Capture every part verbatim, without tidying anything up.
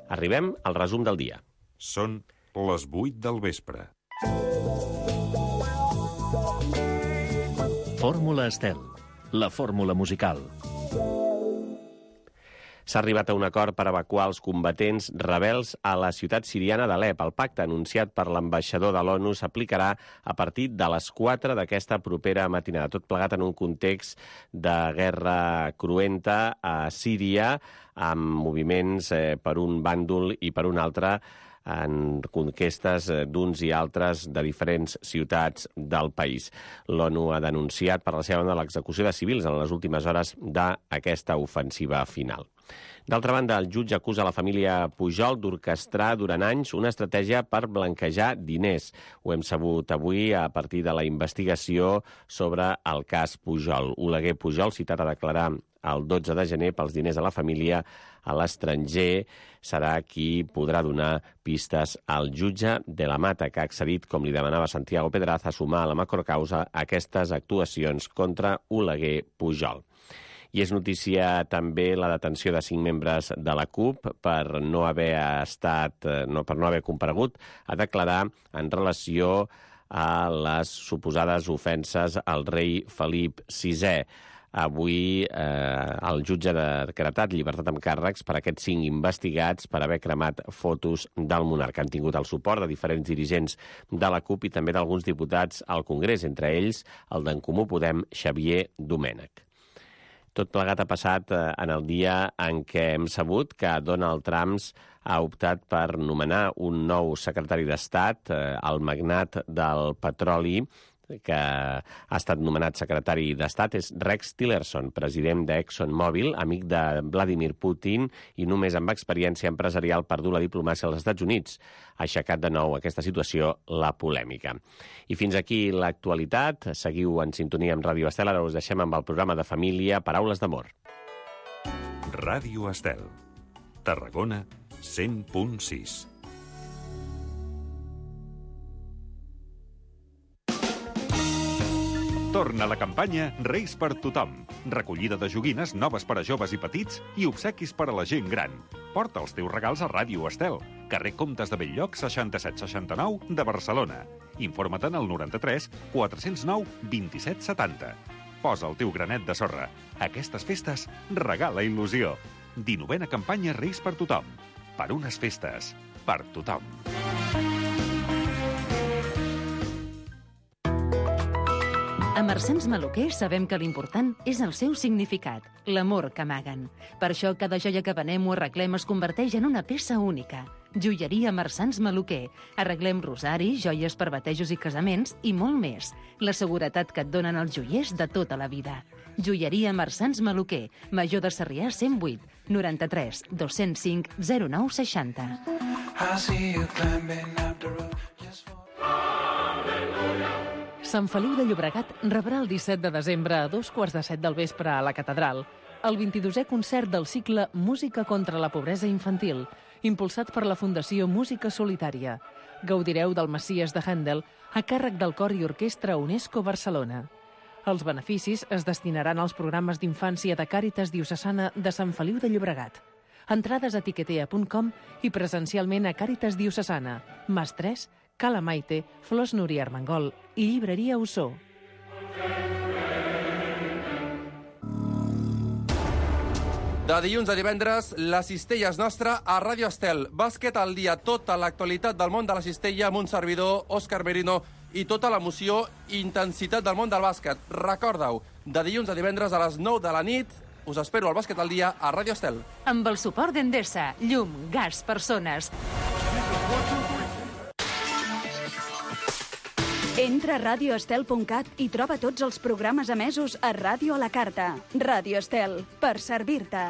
Arribem al resum del dia. Són les vuit del vespre. Fórmula Estel, la fórmula musical. S'ha arribat a un acord per evacuar els combatents rebels a la ciutat siriana d'Alep. El pacte anunciat per l'ambaixador de l'ONU s'aplicarà a partir de les quatre d'aquesta propera matinada. Tot plegat en un context de guerra cruenta a Síria, amb moviments eh, per un bàndol i per un altre en conquestes d'uns i altres de diferents ciutats del país. L'ONU ha denunciat per la seva banda l'execució de civils en les últimes hores d'aquesta ofensiva final. D'altra banda, el jutge acusa la família Pujol d'orquestrar durant anys una estratègia per blanquejar diners. Ho hem sabut avui a partir de la investigació sobre el cas Pujol. Oleguer Pujol, citat a declarar el dotze de gener pels diners de la família a l'estranger, serà qui podrà donar pistes al jutge de la Mata, que ha accedit, com li demanava Santiago Pedraz, a sumar a la macrocausa aquestes actuacions contra Oleguer Pujol. I és notícia també la detenció de cinc membres de la CUP per no haver estat, no, per no haver comparegut a declarar en relació a les suposades ofenses al rei Felip sisè. Avui eh, el jutge ha decretat llibertat amb càrrecs per a aquests cinc investigats per haver cremat fotos del monarca. Han tingut el suport de diferents dirigents de la CUP i també d'alguns diputats al Congrés, entre ells el d'En Comú Podem, Xavier Domènech. Tot plegat ha passat en el dia en què hem sabut que Donald Trump ha optat per nomenar un nou secretari d'Estat, el magnat del petroli, que ha estat nomenat secretari d'Estat, és Rex Tillerson, president d'ExxonMobil, amic de Vladimir Putin i només amb experiència empresarial per dur la diplomàcia als Estats Units. Ha aixecat de nou aquesta situació la polèmica. I fins aquí l'actualitat. Seguiu en sintonia amb Ràdio Estel. Ara us deixem amb el programa de família Paraules d'Amor. Ràdio Estel. Tarragona, cent punt sis. Torna la campanya Reis per tothom. Recollida de joguines noves per a joves i petits i obsequis per a la gent gran. Porta els teus regals a Ràdio Estel, carrer Comtes de Bell-lloc, seixanta-set seixanta-nou de Barcelona. Informa-te'n al noranta-tres quatre-cents nou vint-i-set setanta. Posa el teu granet de sorra. Aquestes festes regala il·lusió. dinovena campanya Reis per tothom. Per unes festes. Per tothom. A Marsans Maluquer sabem que l'important és el seu significat, l'amor que amaguen. Per això cada joia que venem o arreglem es converteix en una peça única. Joieria Marsans Maluquer. Arreglem rosaris, joies per batejos i casaments i molt més. La seguretat que et donen els joiers de tota la vida. Joieria Marsans Maluquer. Major de Sarrià cent vuit, noranta-tres, dos-cents cinc, zero nou seixanta. Sant Feliu de Llobregat rebrà el disset de desembre a dos quarts de set del vespre a la Catedral el vint-i-dosè concert del cicle Música contra la pobresa infantil, impulsat per la Fundació Música Solitària. Gaudireu del Messies de Händel a càrrec del Cor i Orquestra UNESCO Barcelona. Els beneficis es destinaran als programes d'infància de Càritas Diocesana de Sant Feliu de Llobregat. Entrades a tiquetea punt com i presencialment a Càritas Diocesana, Mas tres, Cala Maite, Flors Núria Armengol i Llibreria Ossó. De dilluns a divendres, la cistella és nostra a Ràdio Estel. Bàsquet al dia, tota l'actualitat del món de la cistella amb un servidor, Òscar Merino, i tota l'emoció i intensitat del món del bàsquet. Recorda-ho, de dilluns a divendres a les nou de la nit, us espero al Bàsquet al dia a Ràdio Estel. Amb el suport d'Endesa, llum, gas, persones. Entra a radio estel punt cat i troba tots els programes emesos a Ràdio a la Carta. Ràdio Estel, per servir-te.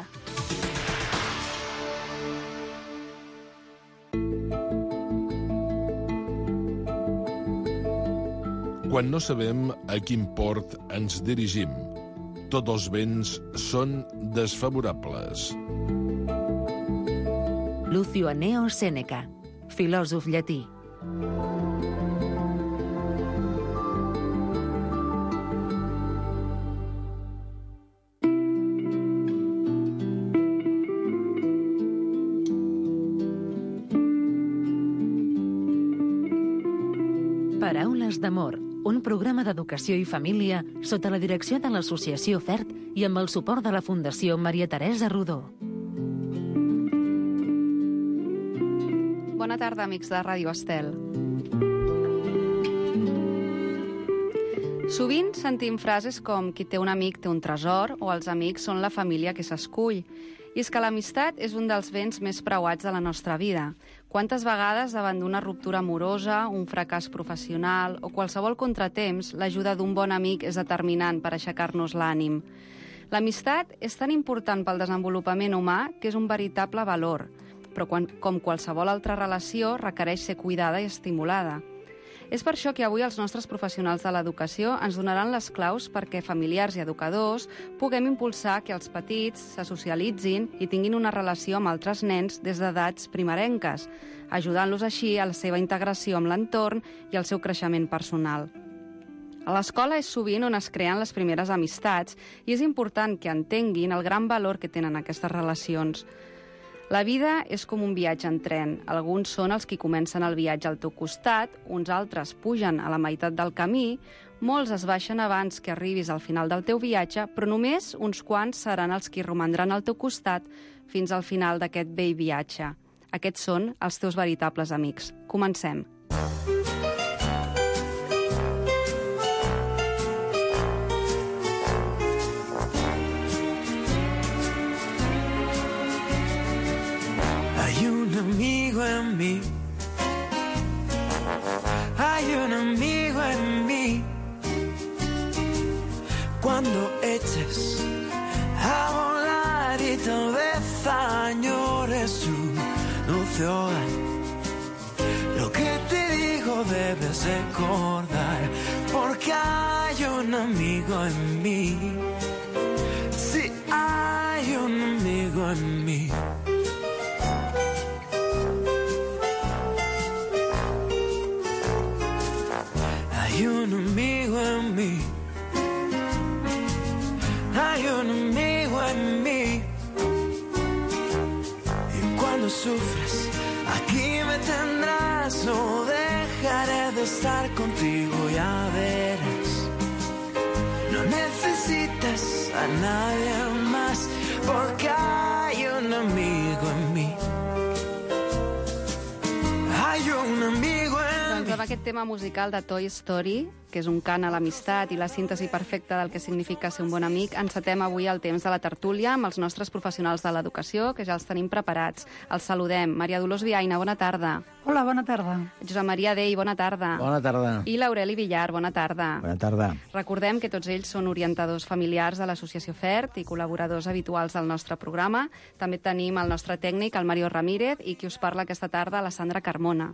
Quan no sabem a quin port ens dirigim, tots els vents són desfavorables. Lucio Anneo Sèneca, filòsof llatí. Paraules d'amor, un programa d'educació i família sota la direcció de l'Associació FERT i amb el suport de la Fundació Maria Teresa Rodó. Bona tarda, amics de Ràdio Estel. Sovint sentim frases com qui té un amic té un tresor o els amics són la família que s'escull. I és que l'amistat és un dels béns més preuats de la nostra vida. Quantes vegades, davant d'una ruptura amorosa, un fracàs professional o qualsevol contratemps, l'ajuda d'un bon amic és determinant per aixecar-nos l'ànim. L'amistat és tan important pel desenvolupament humà que és un veritable valor, però quan, com qualsevol altra relació, requereix ser cuidada i estimulada. És per això que avui els nostres professionals de l'educació ens donaran les claus perquè familiars i educadors puguem impulsar que els petits se socialitzin i tinguin una relació amb altres nens des d'edats primerenques, ajudant-los així a la seva integració amb l'entorn i al seu creixement personal. A l'escola és sovint on es creen les primeres amistats i és important que entenguin el gran valor que tenen aquestes relacions. La vida és com un viatge en tren. Alguns són els que comencen el viatge al teu costat, uns altres pugen a la meitat del camí, molts es baixen abans que arribis al final del teu viatge, però només uns quants seran els que romandran al teu costat fins al final d'aquest vell viatge. Aquests són els teus veritables amics. Comencem. Hay un amigo en mí, hay un amigo en mí. Cuando eches a volar y tal vez añores su dulce hogar, lo que te digo debes recordar, porque hay un amigo en mí. Sí, hay un amigo en mí. Hay un amigo en mí, hay un amigo en mí. Y cuando sufres, aquí me tendrás. No dejaré de estar contigo, ya verás. No necesitas a nadie más, porque hay un amigo en mí. Hay un amigo en mí. Doncs amb aquest tema musical de Toy Story, que és un cant a l'amistat i la síntesi perfecta del que significa ser un bon amic, encetem avui el temps de la tertúlia amb els nostres professionals de l'educació, que ja els tenim preparats. Els saludem. Maria Dolors Viaina, bona tarda. Hola, bona tarda. Josep Maria Dei, bona tarda. Bona tarda. I l'Aureli Villar, bona tarda. Bona tarda. Recordem que tots ells són orientadors familiars de l'Associació FERT i col·laboradors habituals del nostre programa. També tenim el nostre tècnic, el Mario Ramírez, i qui us parla aquesta tarda, la Sandra Carmona.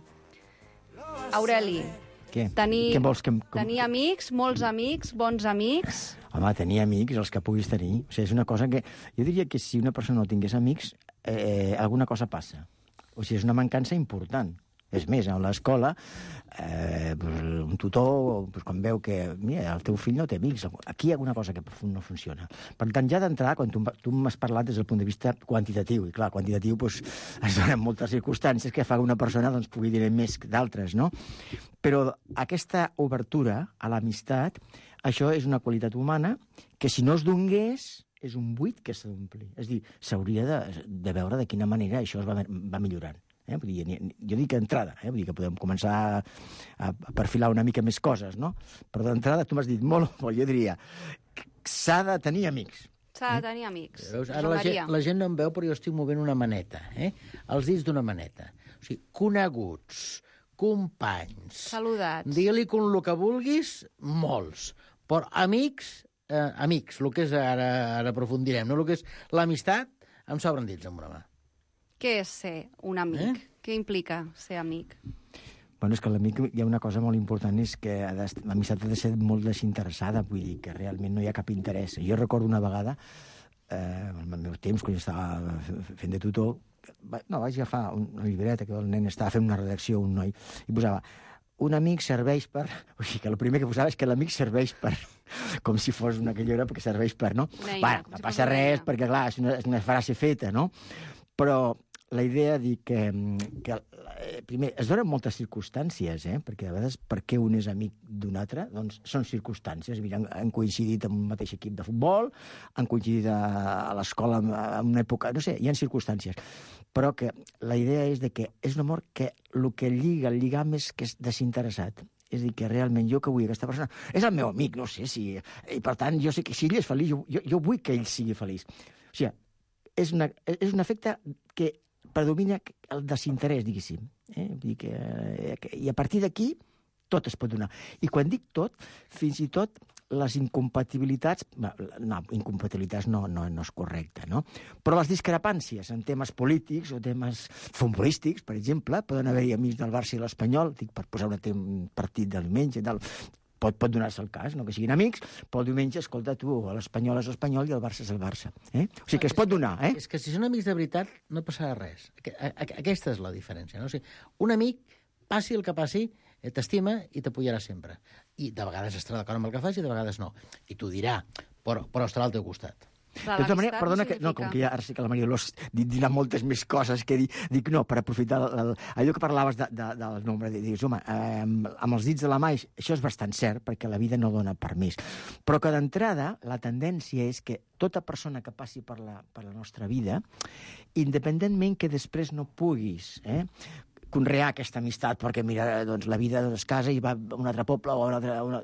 Aureli, Què? tenir, Què vols que em... com... tenir amics, molts amics, bons amics... Home, tenir amics, els que puguis tenir. O sigui, és una cosa que... Jo diria que si una persona no tingués amics, eh, alguna cosa passa. O sigui, és una mancança important. És més, a l'escola, eh, pues, un tutor, pues, quan veu que mira, el teu fill no té amics, aquí hi ha alguna cosa que no funciona. Per tant, ja d'entrada, quan tu, tu m'has parlat des del punt de vista quantitatiu, i clar, quantitatiu pues, es donen moltes circumstàncies que fa que una persona doncs, pugui dir més que d'altres, no? Però aquesta obertura a l'amistat, això és una qualitat humana que si no es donés és un buit que s'ha d'omplir. És a dir, s'hauria de, de veure de quina manera això es va, va millorant. Eh? Vull dir, jo dic entrada, eh? Vull dir que podem començar a, a perfilar una mica més coses, no? Però d'entrada tu m'has dit molt, molt, jo diria, s'ha de tenir amics. S'ha de tenir amics. Veus? Ara la gent, la gent no em veu, però jo estic movent una maneta, eh? Els dits d'una maneta. O sigui, coneguts, companys... Saludats. Digue-li com el que vulguis, molts. Però amics, eh, amics, el que és ara, ara aprofundirem, no? El que és l'amistat, em sobren dits amb una mà. Què és ser un amic? Eh? Què implica ser amic? Bueno, és que l'amic hi ha una cosa molt important, és que l'amistat ha de ser molt desinteressada, vull dir, que realment no hi ha cap interès. Jo recordo una vegada, eh, en el meu temps, quan jo estava fent de tutor, no, vaig agafar una llibreta que el nen estava fent una redacció, un noi, i posava un amic serveix per... O sigui, que el primer que posava és que l'amic serveix per... Com si fos una aquella perquè serveix per, no? Neina, bueno, no passa res, perquè, clar, és una, és una frase feta, no? Però la idea de dir que, que eh, primer, es donen moltes circumstàncies, eh? Perquè a vegades per què un és amic d'un altre? Doncs són circumstàncies. Mira, han, han coincidit en un mateix equip de futbol, han coincidit a, a l'escola en, en una època... No sé, hi ha circumstàncies. Però que la idea és de que és un amor que el que lliga, el lligam és que és desinteressat. És a dir, que realment jo que vull aquesta persona... És el meu amic, no sé si... I per tant, jo sé que si ell és feliç, jo, jo, jo vull que ell sigui feliç. O sigui, és, una, és un efecte que predomina el desinterès, diguéssim. Eh? Vull dir que, eh, I a partir d'aquí tot es pot donar. I quan dic tot, fins i tot les incompatibilitats... No, incompatibilitats no, no, no és correcte, no? Però les discrepàncies en temes polítics o temes futbolístics, per exemple, poden haver-hi amics del Barça i l'Espanyol, dic, per posar un partit del diumenge, del... Pot, pot donar-se el cas, no que siguin amics, però el diumenge, escolta, tu, l'Espanyol és l'Espanyol i el Barça és el Barça. Eh? O sigui que es pot donar, eh? És que si són amics de veritat no passarà res. Aquesta és la diferència, no? O sigui, un amic, passi el que passi, t'estima i t'apoyarà sempre. I de vegades estarà d'acord amb el que fas i de vegades no. I t'ho dirà, però, però estarà al teu costat. Clar, de tota manera, perdona, que, no, com que ja ara sí que la Maria Dolors dirà moltes més coses que dir, dic no, per aprofitar el, el, allò que parlaves de, de, del nombre, de, dius, home, eh, amb els dits de la mà, això és bastant cert, perquè la vida no dona permís. Però que d'entrada la tendència és que tota persona que passi per la, per la nostra vida, independentment que després no puguis, eh, conrear aquesta amistat, perquè, mira, doncs, la vida es casa i va a un altre poble o a un altre... Una...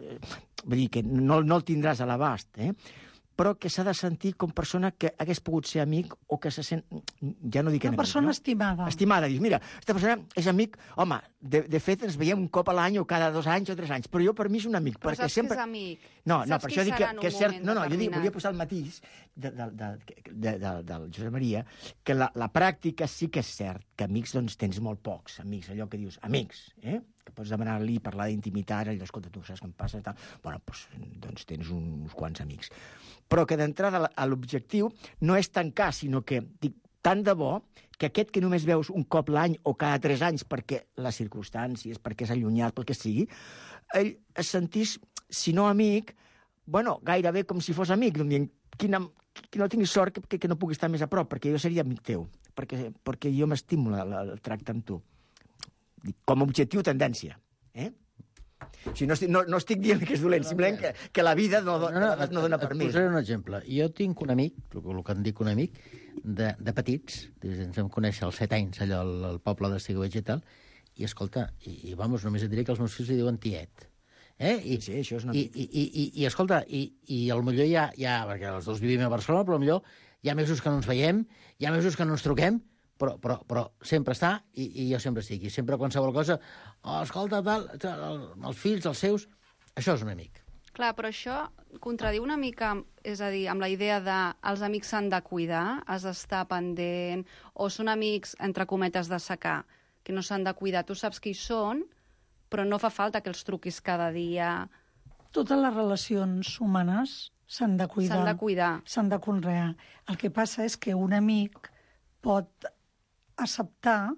Vull dir que no, no el tindràs a l'abast, eh? Però que s'ha de sentir com persona que hagués pogut ser amic o que se sent... Ja no dic Una enemic, persona no? estimada. Estimada. Dius, mira, aquesta persona és amic... Home, de, de fet, ens veiem un cop a l'any o cada dos anys o tres anys, però jo per mi és un amic. Però perquè saps sempre... que és amic? No, no, Saps per qui això dic que, serà en que un és cert... moment No, no, jo dic, determinat? volia posar el matís de, de, de, de, de, del Josep Maria, que la, la pràctica sí que és cert, que amics doncs tens molt pocs, amics, allò que dius, amics, eh? Que pots demanar-li, parlar d'intimitat, allò, escolta, tu saps què em passa, tal. Bueno, doncs, doncs tens uns quants amics. Però que d'entrada l'objectiu no és tancar, sinó que, dic, tant de bo que aquest que només veus un cop l'any o cada tres anys perquè les circumstàncies, perquè és allunyat, pel que sigui, ell es sentís, si no amic, bueno, gairebé com si fos amic, dient, quina, que no tinguis sort que, que no pugui estar més a prop, perquè jo seria amic teu, perquè, perquè jo m'estimo el tracte amb tu. Com a objectiu, tendència. Eh? O sigui, no, estic, no, no estic dient que és dolent, simplement que, que la vida no, no, no, no dona permís. Et posaré un exemple. Jo tinc un amic, el que en dic un amic, de, de petits, ens vam conèixer als set anys, allò al, al poble de Sigüeig i tal, i escolta, i, i vamos, només et diré que els meus fills li diuen tiet. Eh? I, sí, això és una... I, i, i, i, i escolta, i, i al millor ja, ja, perquè els dos vivim a Barcelona, però al millor hi ha mesos que no ens veiem, hi ha mesos que no ens truquem, però, però, però sempre està i, i jo sempre estic. I sempre qualsevol cosa, oh, escolta, tal, tal, els fills, els seus, això és un amic. Clar, però això contradiu una mica, és a dir, amb la idea de els amics s'han de cuidar, has d'estar pendent, o són amics, entre cometes, de secar, que no s'han de cuidar. Tu saps qui són, però no fa falta que els truquis cada dia. Totes les relacions humanes s'han de cuidar. S'han de cuidar. S'han de conrear. El que passa és que un amic pot acceptar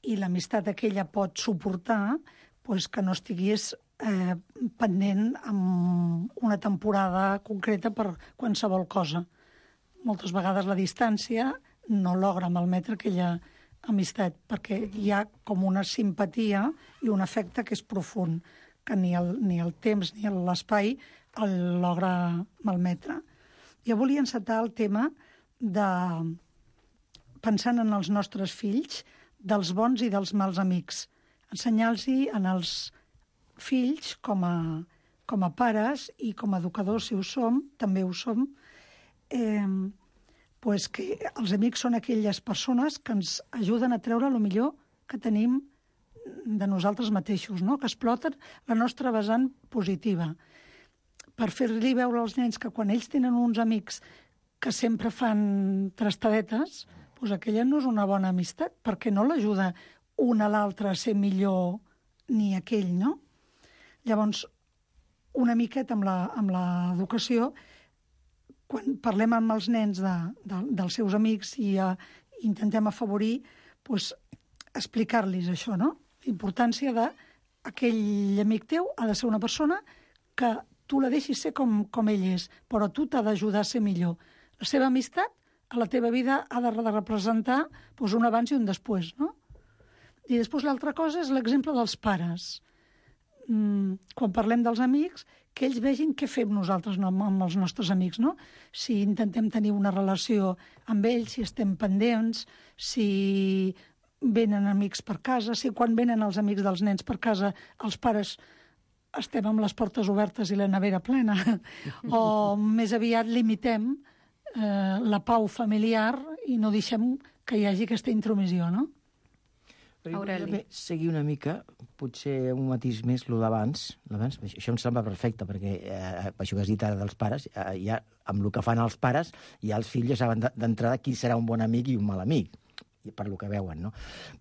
i l'amistat aquella pot suportar pues, que no estigués eh, pendent amb una temporada concreta per qualsevol cosa. Moltes vegades la distància no logra malmetre aquella amistat, perquè hi ha com una simpatia i un afecte que és profund, que ni el, ni el temps ni l'espai el logra malmetre. Jo volia encetar el tema de, pensant en els nostres fills, dels bons i dels mals amics. Ensenyar-los en els fills, com a, com a pares i com a educadors, si ho som, també ho som, eh, pues que els amics són aquelles persones que ens ajuden a treure el millor que tenim de nosaltres mateixos, no? Que exploten la nostra vessant positiva. Per fer-li veure als nens que quan ells tenen uns amics que sempre fan trastadetes, pues aquella no és una bona amistat, perquè no l'ajuda un a l'altre a ser millor ni aquell, no? Llavors, una miqueta amb la, amb l'educació, quan parlem amb els nens de, de, dels seus amics i uh, intentem afavorir, pues, explicar-los això, no? La importància d'aquell amic teu ha de ser una persona que tu la deixis ser com, com ell és, però tu t'ha d'ajudar a ser millor. La seva amistat a la teva vida ha de representar doncs, un abans i un després, no? I després l'altra cosa és l'exemple dels pares. Mm, quan parlem dels amics, que ells vegin què fem nosaltres no, amb els nostres amics, no? Si intentem tenir una relació amb ells, si estem pendents, si venen amics per casa, si quan venen els amics dels nens per casa els pares estem amb les portes obertes i la nevera plena, o més aviat limitem eh, la pau familiar i no deixem que hi hagi aquesta intromissió, no? Aureli. Seguir una mica, potser un matís més, el d'abans. L'abans, això em sembla perfecte, perquè eh, això que has dit ara dels pares, eh, ja, amb el que fan els pares, ja els fills ja saben d'entrada qui serà un bon amic i un mal amic, per lo que veuen, no?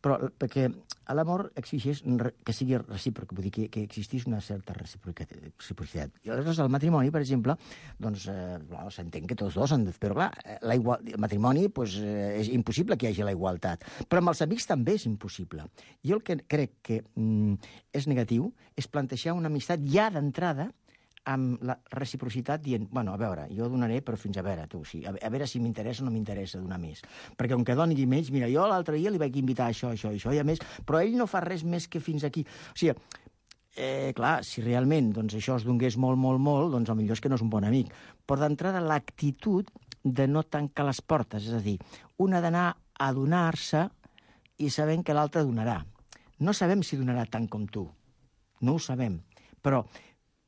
Però perquè l'amor exigeix que sigui recíproc, vull dir que, que existís una certa reciprocitat. I aleshores el matrimoni, per exemple, doncs eh, s'entén que tots dos han de... Però clar, la igual... el matrimoni pues, eh, és impossible que hi hagi la igualtat. Però amb els amics també és impossible. Jo el que crec que mm, és negatiu és plantejar una amistat ja d'entrada amb la reciprocitat dient, bueno, a veure, jo donaré, però fins a veure, tu, sí, a veure si m'interessa o no m'interessa donar més. Perquè com que doni més, mira, jo l'altre dia li vaig invitar això, això, això, i a més, però ell no fa res més que fins aquí. O sigui, eh, clar, si realment doncs, això es donés molt, molt, molt, doncs potser és que no és un bon amic. Però d'entrada l'actitud de no tancar les portes, és a dir, una d'anar a donar-se i sabent que l'altre donarà. No sabem si donarà tant com tu, no ho sabem, però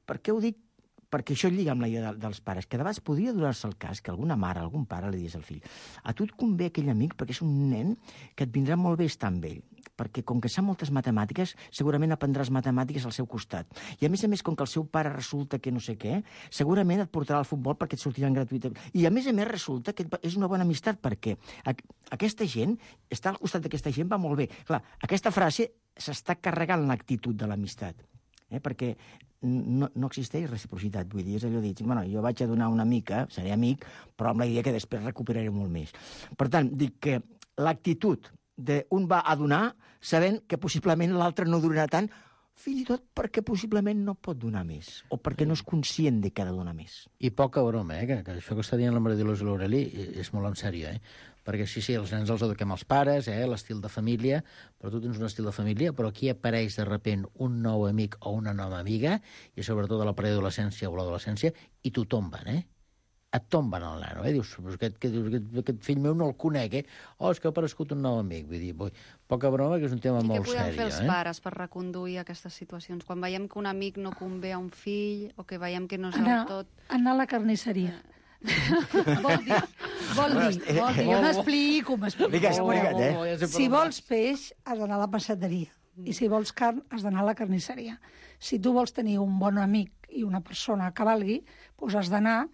per què ho dic? Perquè això lliga amb la idea dels pares, que de vegades podria donar-se el cas que alguna mare, algun pare li digués al fill a tu et convé aquell amic perquè és un nen que et vindrà molt bé estar amb ell, perquè com que sap moltes matemàtiques, segurament aprendràs matemàtiques al seu costat. I a més a més, com que el seu pare resulta que no sé què, segurament et portarà al futbol perquè et sortiran gratuïtament. I a més a més resulta que és una bona amistat perquè aquesta gent, estar al costat d'aquesta gent va molt bé. Clar, aquesta frase s'està carregant l'actitud de l'amistat, eh? Perquè no, no existeix reciprocitat, vull dir, és allò dit, bueno, jo vaig a donar una mica, seré amic, però amb la idea que després recuperaré molt més. Per tant, dic que l'actitud d'un va a donar sabent que possiblement l'altre no donarà tant, fins i tot perquè possiblement no pot donar més, o perquè no és conscient de que ha de donar més. I poca broma, eh? Que, que això que està dient la Maria Dolors i l'Aureli és molt en sèrio, eh? Perquè sí, sí, els nens els eduquem els pares, eh? L'estil de família, però tu tens un estil de família, però aquí apareix de repent un nou amic o una nova amiga, i sobretot a la preadolescència o l'adolescència, i t'ho tomben, eh? Et tomben el nano, eh? Dius, aquest, aquest, aquest fill meu no el conec, eh? Oh, és que ha aparegut un nou amic. Vull dir, vull, poca broma, que és un tema I molt sèrio, eh? I què podem fer els eh? pares per reconduir aquestes situacions? Quan veiem que un amic no convé a un fill, o que veiem que no és anar, del tot... Anar a la carnisseria. vol dir, vol dir, vol dir, jo m'explico, m'explico. Digues, explica't, eh? Si vols peix, has d'anar a la passeteria. I si vols carn, has d'anar a la carnisseria. Si tu vols tenir un bon amic i una persona que valgui, doncs has d'anar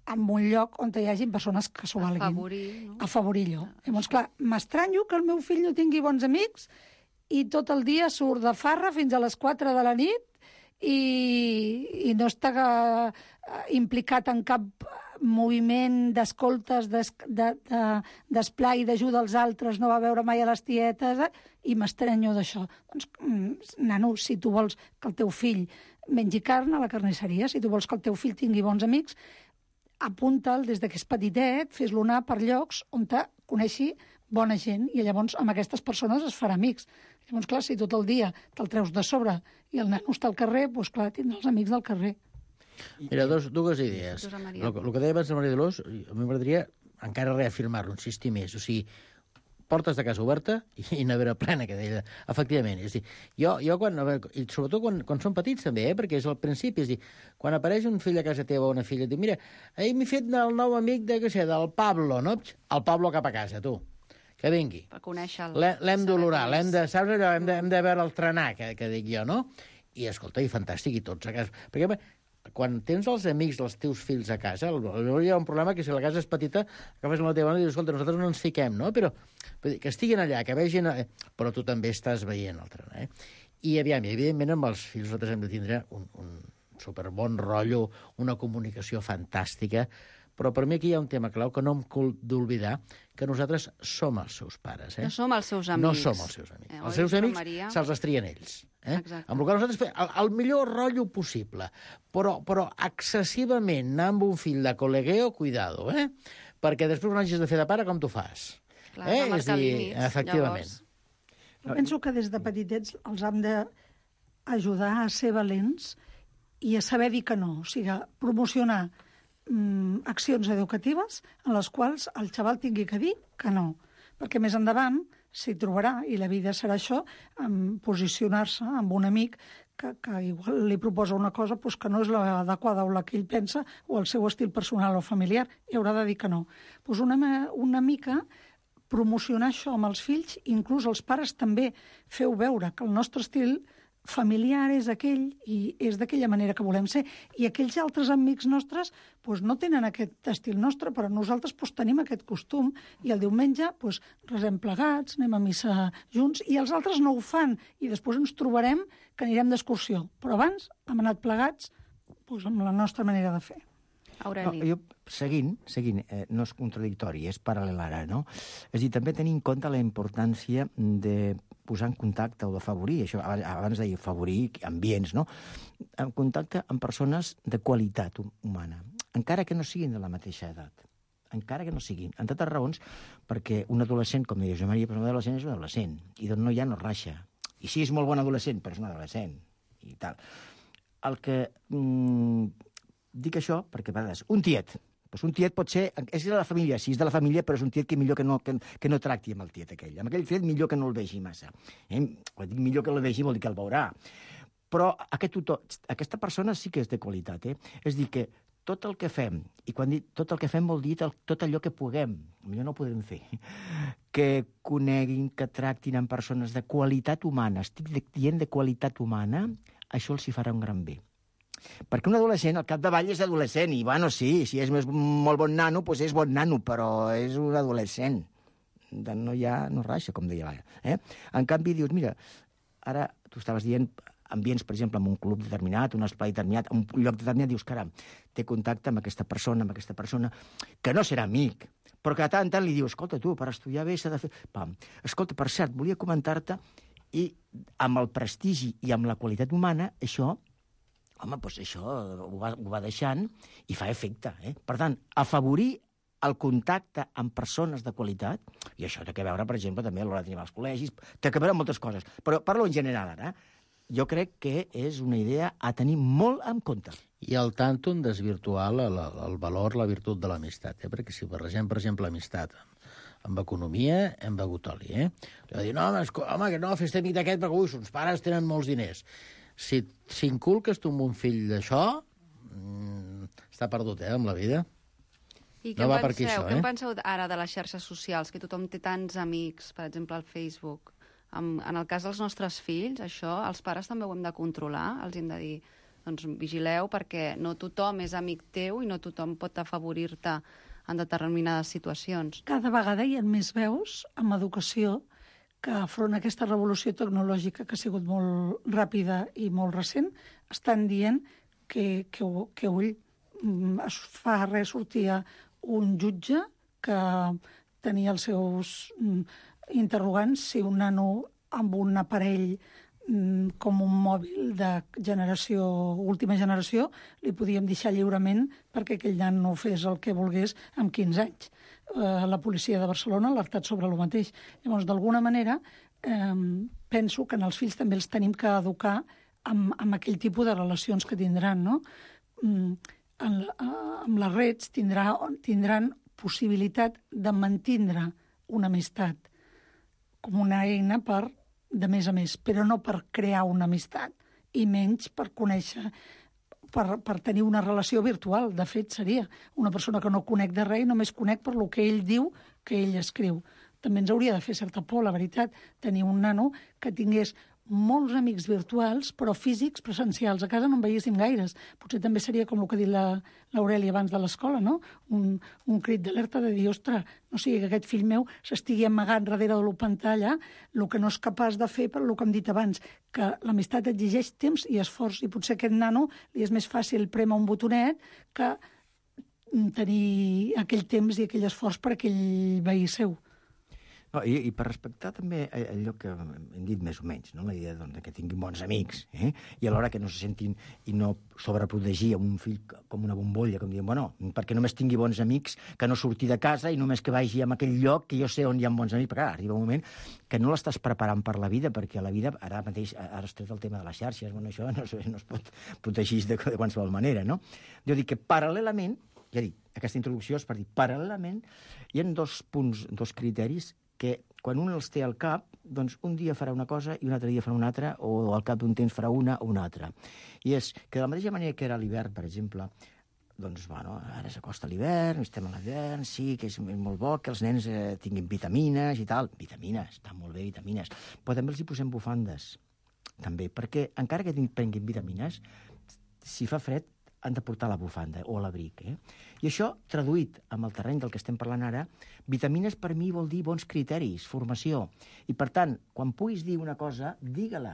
en un lloc on hi hagi persones que s'ho valguin. Afavorir, no? Afavorir-lo. Llavors, clar, m'estranyo que el meu fill no tingui bons amics i tot el dia surt de farra fins a les quatre de la nit i, i no està uh, implicat en cap moviment d'escoltes, d'esplai, d'ajuda als altres, no va veure mai a les tietes, eh? I m'estranyo d'això. Doncs, nano, si tu vols que el teu fill mengi carn a la carnisseria, si tu vols que el teu fill tingui bons amics, apunta'l des que és petitet, fes-lo anar per llocs on te coneixi bona gent, i llavors amb aquestes persones es farà amics. Llavors, clar, si tot el dia te'l treus de sobre i el nano està al carrer, doncs clar, tindrà els amics del carrer. Mira, dos, dues idees. El, el que deia abans la Maria Dolors, a mi m'agradaria encara reafirmar-lo, insistir més. O sigui, portes de casa oberta i nevera plena, que deia. Efectivament. És dir, jo, jo quan, i sobretot quan, quan són petits també, eh, perquè és al principi, és dir, quan apareix un fill a casa teva o una filla, et diu, mira, ahir m'he fet el nou amic de, què sé, del Pablo, no? El Pablo cap a casa, tu. Que vingui. Per conèixer-lo. L'hem d'olorar, l'hem de, saps allò, hem de, hem de veure el trenar, que, que dic jo, no? I, escolta, i fantàstic, i tots a casa. Perquè quan tens els amics dels teus fills a casa, hi ha un problema que si la casa és petita, agafes la teva dona i dius, escolta, nosaltres no ens fiquem, no? Però que estiguin allà, que vegin... Però tu també estàs veient el tren, eh? I, aviam, i evidentment, amb els fills nosaltres hem de tindre un, un superbon rotllo, una comunicació fantàstica, però per mi aquí hi ha un tema clau que no em cal d'oblidar, que nosaltres som els seus pares, eh? No som els seus amics. No som els seus amics. Eh, els seus amics Maria... se'ls estrien ells. Eh? Amb el qual nosaltres fem el, el millor rotllo possible, però, però excessivament anar amb un fill de col·legueo, cuidado, eh? perquè després quan hagis de fer de pare, com t'ho fas? Clar, eh? És dir, límits, efectivament. Llavors... Jo penso que des de petitets els hem d'ajudar a ser valents i a saber dir que no. O sigui, promocionar mm, accions educatives en les quals el xaval tingui que dir que no. Perquè més endavant s'hi trobarà, i la vida serà això, en posicionar-se amb un amic que, que igual li proposa una cosa pues, que no és l'adequada o la que ell pensa o el seu estil personal o familiar, i haurà de dir que no. Pues una, una mica promocionar això amb els fills, inclús els pares també feu veure que el nostre estil familiar és aquell i és d'aquella manera que volem ser. I aquells altres amics nostres pues, no tenen aquest estil nostre, però nosaltres pues, tenim aquest costum i el diumenge pues, resem plegats, anem a missa junts, i els altres no ho fan. I després ens trobarem que anirem d'excursió. Però abans hem anat plegats pues, amb la nostra manera de fer. Aureli. No, jo, seguint, seguint eh, no és contradictori, és paral·lel ara, no? És a dir, també tenir en compte la importància de posar en contacte o d'afavorir, això abans deia afavorir ambients, no? En contacte amb persones de qualitat humana, encara que no siguin de la mateixa edat, encara que no siguin, en totes raons, perquè un adolescent, com deia Josep Maria, però un adolescent és un adolescent, i d'on no hi ha no raxa. I sí, és molt bon adolescent, però és un adolescent, i tal. El que... Mm, dic això perquè, a vegades, un tiet, doncs un tiet pot ser, és de la família, sí, és de la família, però és un tiet que millor que no, que, que no tracti amb el tiet aquell. Amb aquell tiet millor que no el vegi massa. Eh? Quan dic millor que el vegi vol dir que el veurà. Però aquest tutor, aquesta persona sí que és de qualitat. Eh? És dir, que tot el que fem, i quan dic tot el que fem vol dir tot allò que puguem, millor no ho podem fer, que coneguin, que tractin amb persones de qualitat humana, estic dient de qualitat humana, això els hi farà un gran bé. Perquè un adolescent, al capdavall, és adolescent, i bueno, sí, si és més, molt bon nano, doncs és bon nano, però és un adolescent. No hi ha, no raxa, com deia l'Aia. Eh? En canvi, dius, mira, ara tu estaves dient ambients, per exemple, en un club determinat, un espai determinat, un lloc determinat, dius, caram, té contacte amb aquesta persona, amb aquesta persona, que no serà amic, però que de tant en tant li dius, escolta, tu, per estudiar bé s'ha de fer... Pam. Escolta, per cert, volia comentar-te, i amb el prestigi i amb la qualitat humana, això... Home, doncs això ho va, ho va deixant i fa efecte. Eh? Per tant, afavorir el contacte amb persones de qualitat, i això té que veure, per exemple, també a l'hora de tenir als col·legis, té que veure moltes coses, però parlo en general ara. Jo crec que és una idea a tenir molt en compte. I al tanto en desvirtuar el, el valor, la virtut de l'amistat, eh? Perquè si barregem, per exemple, l'amistat amb economia, hem begut oli, eh? Allò de dir, no, home, home que no, fes-te amic d'aquest perquè, ui, sons pares tenen molts diners. Si, si inculques tu amb un fill d'això, mmm, està perdut, eh, amb la vida. I què, no va penseu, per aquí, això, què eh? en penseu ara de les xarxes socials, que tothom té tants amics, per exemple, al Facebook? En, en el cas dels nostres fills, això, els pares també ho hem de controlar, els hem de dir, doncs vigileu, perquè no tothom és amic teu i no tothom pot afavorir-te en determinades situacions. Cada vegada hi ha més veus amb educació que afront aquesta revolució tecnològica que ha sigut molt ràpida i molt recent, estan dient que, que, que ull, es fa res sortia un jutge que tenia els seus interrogants si un nano amb un aparell com un mòbil de generació, última generació, li podíem deixar lliurement perquè aquell nen no fes el que volgués amb quinze anys. La policia de Barcelona ha alertat sobre el mateix. Llavors, d'alguna manera, eh, penso que en els fills també els tenim que educar amb, amb aquell tipus de relacions que tindran, no? Mm, en, amb les redes tindrà, tindran possibilitat de mantindre una amistat com una eina per, de més a més, però no per crear una amistat, i menys per conèixer... Per, per tenir una relació virtual. De fet, seria una persona que no conec de res i només conec per lo que ell diu que ell escriu. També ens hauria de fer certa por, la veritat, tenir un nano que tingués molts amics virtuals, però físics, presencials. A casa no en veiéssim gaires. Potser també seria com el que ha dit l'Aureli abans de l'escola, no? Un, un crit d'alerta de dir, ostres, no sigui que aquest fill meu s'estigui amagant darrere de la pantalla el que no és capaç de fer per el que hem dit abans, que l'amistat exigeix temps i esforç, i potser a aquest nano li és més fàcil prémer un botonet que tenir aquell temps i aquell esforç per aquell veí seu. No, i, I per respectar també allò que hem dit més o menys, no? La idea doncs, que tinguin bons amics, eh? I alhora que no se sentin i no sobreprotegir un fill com una bombolla, com dient, bueno, perquè només tingui bons amics, que no surti de casa i només que vagi a aquell lloc que jo sé on hi ha bons amics, perquè ara arriba un moment que no l'estàs preparant per la vida, perquè la vida, ara mateix, ara has tret el tema de les xarxes, bueno, això no, no es pot protegir de, de qualsevol manera, no? Jo dic que paral·lelament, ja dic, aquesta introducció és per dir, paral·lelament, hi ha dos punts, dos criteris que quan un els té al cap, doncs un dia farà una cosa i un altre dia farà una altra, o al cap d'un temps farà una o una altra. I és que de la mateixa manera que era l'hivern, per exemple, doncs, bueno, ara s'acosta l'hivern, estem a l'hivern, sí, que és molt bo que els nens eh, tinguin vitamines i tal. Vitamines, està molt bé, vitamines. Però també els hi posem bufandes, també, perquè encara que prenguin vitamines, si fa fred, han de portar la bufanda o l'abric. Eh? I això, traduït amb el terreny del que estem parlant ara, vitamines per mi vol dir bons criteris, formació. I, per tant, quan puguis dir una cosa, digue-la.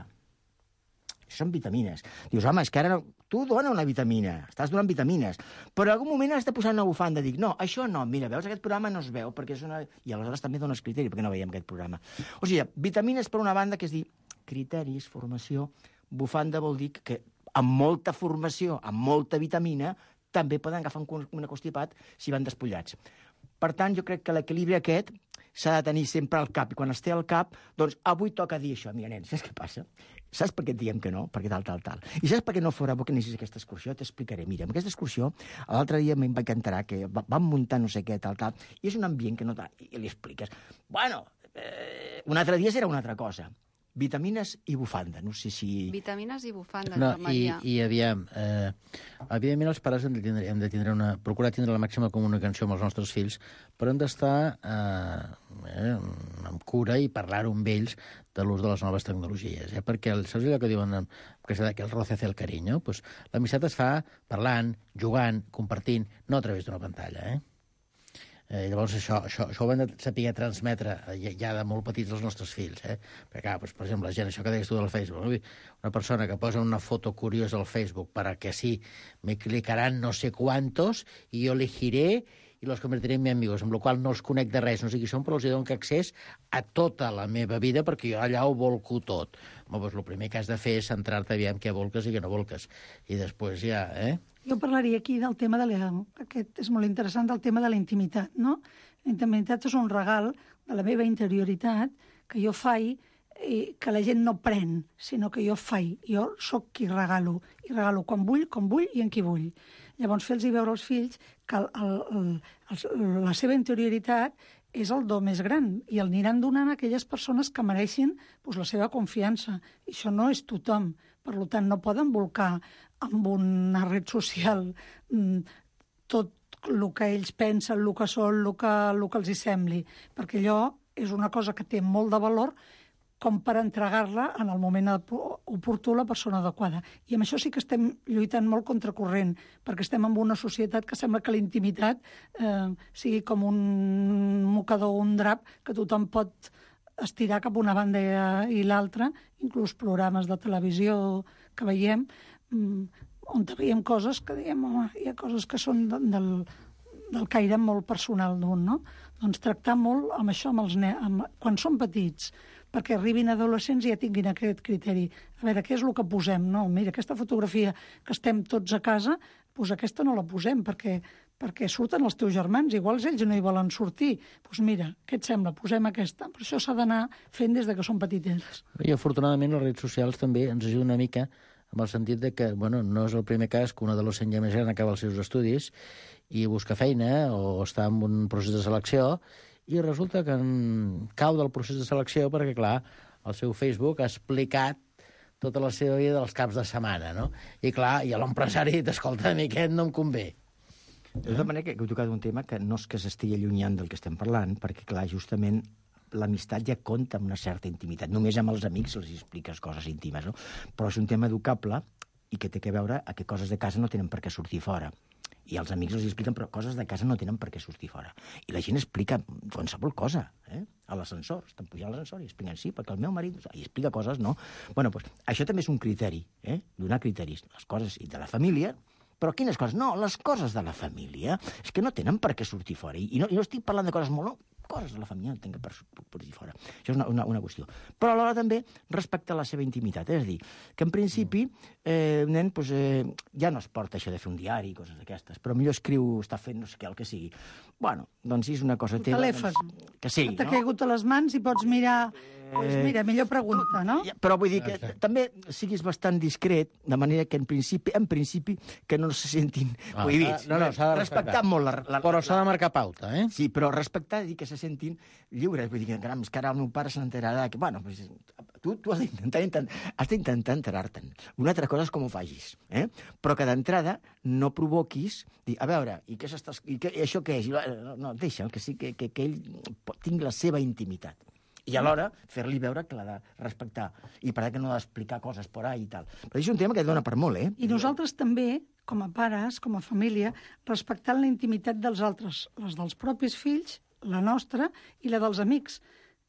Són vitamines. Dius, home, és que ara no... tu dona una vitamina, estàs donant vitamines, però en algun moment has de posar una bufanda. Dic, no, això no, mira, veus, aquest programa no es veu, perquè és una... I aleshores també dones criteri, perquè no veiem aquest programa. O sigui, vitamines per una banda, que és dir, criteris, formació, bufanda vol dir que amb molta formació, amb molta vitamina, també poden agafar un constipat si van despullats. Per tant, jo crec que l'equilibri aquest s'ha de tenir sempre al cap. I quan es té al cap, doncs avui toca dir això. Mira, nen, saps què passa? Saps per què et diem que no? Perquè tal, tal, tal. I saps per què no fora bo que anessis a aquesta excursió? T'explicaré. Mira, amb aquesta excursió, l'altre dia me'n vaig enterar que vam muntar no sé què, tal, tal, i és un ambient que no... I li expliques. Bueno, eh, un altre dia serà una altra cosa. Vitamines i bufanda, no sé si... Vitamines i bufanda, no, Maria. I, i aviam, eh, evidentment els pares hem de tindre, hem de tindre una, procurar tindre la màxima comunicació amb els nostres fills, però hem d'estar eh, eh, amb cura i parlar-ho amb ells de l'ús de les noves tecnologies, eh? Perquè el, saps allò que diuen que, que el roce hace el cariño? Pues, l'amistat es fa parlant, jugant, compartint, no a través d'una pantalla, eh? Eh, llavors això, això, això ho hem de saber transmetre ja, ja de molt petits als nostres fills, eh? Perquè, clar, doncs, per exemple, la gent, això que deies tu del Facebook, no? Una persona que posa una foto curiosa al Facebook para que así me clicarán no sé cuántos y yo elegiré i los convertiré en mis amigos, amb la qual no els conec de res, no sé qui són, però els dono accés a tota la meva vida perquè jo allà ho volco tot. Home, doncs el primer que has de fer és centrar-te aviam què volques i què no volques. I després ja, eh? Jo parlaria aquí del tema de la... Aquest és molt interessant, del tema de la intimitat, no? La intimitat és un regal de la meva interioritat que jo faig i que la gent no pren, sinó que jo faig. Jo sóc qui regalo. I regalo quan vull, com vull i en qui vull. Llavors, fer-los veure als fills que el, el, el, la seva interioritat és el do més gran i el aniran donant a aquelles persones que mereixin doncs, la seva confiança. I això no és tothom. Per tant, no poden volcar amb una red social tot el que ells pensen, el que són, el que, el que els hi sembli, perquè allò és una cosa que té molt de valor com per entregar-la en el moment oportú a la persona adequada. I amb això sí que estem lluitant molt contracorrent, perquè estem en una societat que sembla que la intimitat eh, sigui com un mocador o un drap que tothom pot estirar cap a una banda i l'altra, inclús programes de televisió que veiem, on veiem coses que diem, home, hi ha coses que són del, del caire molt personal d'un, no? Doncs tractar molt amb això, amb els nens, amb, quan són petits, perquè arribin adolescents i ja tinguin aquest criteri. A veure, què és el que posem? No, mira, aquesta fotografia que estem tots a casa, doncs aquesta no la posem, perquè, perquè surten els teus germans, igual ells no hi volen sortir. Doncs mira, què et sembla? Posem aquesta. Però això s'ha d'anar fent des de que són petitets. I afortunadament les redes socials també ens ajuden una mica amb el sentit de que, bueno, no és el primer cas que un adolescent ja més gran acaba els seus estudis i busca feina o està en un procés de selecció i resulta que en cau del procés de selecció perquè, clar, el seu Facebook ha explicat tota la seva vida dels caps de setmana, no? I, clar, i l'empresari dit, escolta, a mi aquest no em convé. De tota manera que heu tocat un tema que no és que s'estigui allunyant del que estem parlant, perquè, clar, justament l'amistat ja compta amb una certa intimitat. Només amb els amics els expliques coses íntimes, no? Però és un tema educable i que té que veure a que coses de casa no tenen per què sortir fora. I els amics els expliquen, però coses de casa no tenen per què sortir fora. I la gent explica qualsevol cosa, eh? A l'ascensor, estan pujant a l'ascensor i expliquen, sí, perquè el meu marit... I explica coses, no? Bueno, doncs, això també és un criteri, eh? Donar criteris. Les coses de la família, però quines coses? No, les coses de la família és que no tenen per què sortir fora. I no, i no estic parlant de coses molt... coses de la família no tinc per, per dir fora. Això és una, una, una qüestió. Però alhora també respectar la seva intimitat. És a dir, que en principi eh, un nen pues, eh, ja no es porta això de fer un diari i coses d'aquestes, però millor escriu, està fent no sé què, el que sigui. Bueno, doncs si és una cosa teva... Telèfon. Doncs, que sigui, T'ha no? caigut a les mans i pots mirar... Pues mira, millor pregunta, no? Però vull dir que també siguis bastant discret, de manera que en principi, en principi que no se sentin Ah, cohibits. no, no, s'ha de respectar. Respectar molt la, la, Però s'ha de marcar pauta, eh? Sí, però respectar i que se sentin lliures. Vull dir que, caram, és que ara el meu pare se n'enterarà. Que, bueno, pues, tu, tu has d'intentar intent, has d'intentar enterar-te'n. Una altra cosa és com ho facis. Eh? Però que d'entrada no provoquis... Dir, a veure, i, què s'està, i, què, i això què és? I, no, no, deixa, que, sí, que, que, que ell tingui la seva intimitat. I alhora fer-li veure que l'ha de respectar. I per que no ha d'explicar coses por ahí i tal. Però és un tema que dona per molt, eh? I nosaltres també, com a pares, com a família, respectant la intimitat dels altres, les dels propis fills, la nostra i la dels amics.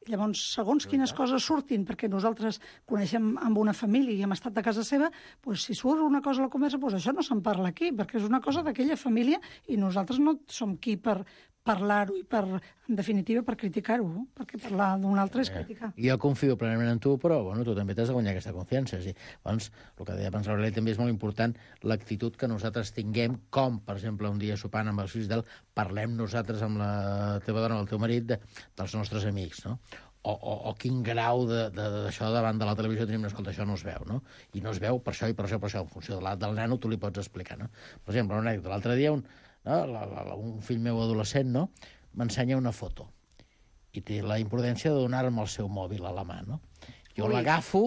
Llavors, segons quines coses surtin, perquè nosaltres coneixem amb una família i hem estat a casa seva, doncs si surt una cosa a la conversa, doncs això no se'n parla aquí, perquè és una cosa d'aquella família i nosaltres no som qui per parlar-ho i, per, en definitiva, per criticar-ho, no? Perquè parlar d'un altre és criticar. Jo confio plenament en tu, però bueno, tu també t'has de guanyar aquesta confiança. Sí. Llavors, el que deia abans l'Aureli també és molt important l'actitud que nosaltres tinguem, com, per exemple, un dia sopant amb els fills del parlem nosaltres amb la teva dona o el teu marit de, dels nostres amics, no? O, o, o quin grau d'això davant de la televisió tenim, no, escolta, això no es veu, no? I no es veu per això i per això, per això, en funció de la, del nano tu li pots explicar, no? Per exemple, una anècdota, l'altre dia un, no? la, la, la, un fill meu adolescent, no? M'ensenya una foto i té la imprudència de donar-me el seu mòbil a la mà, no? Jo l'agafo,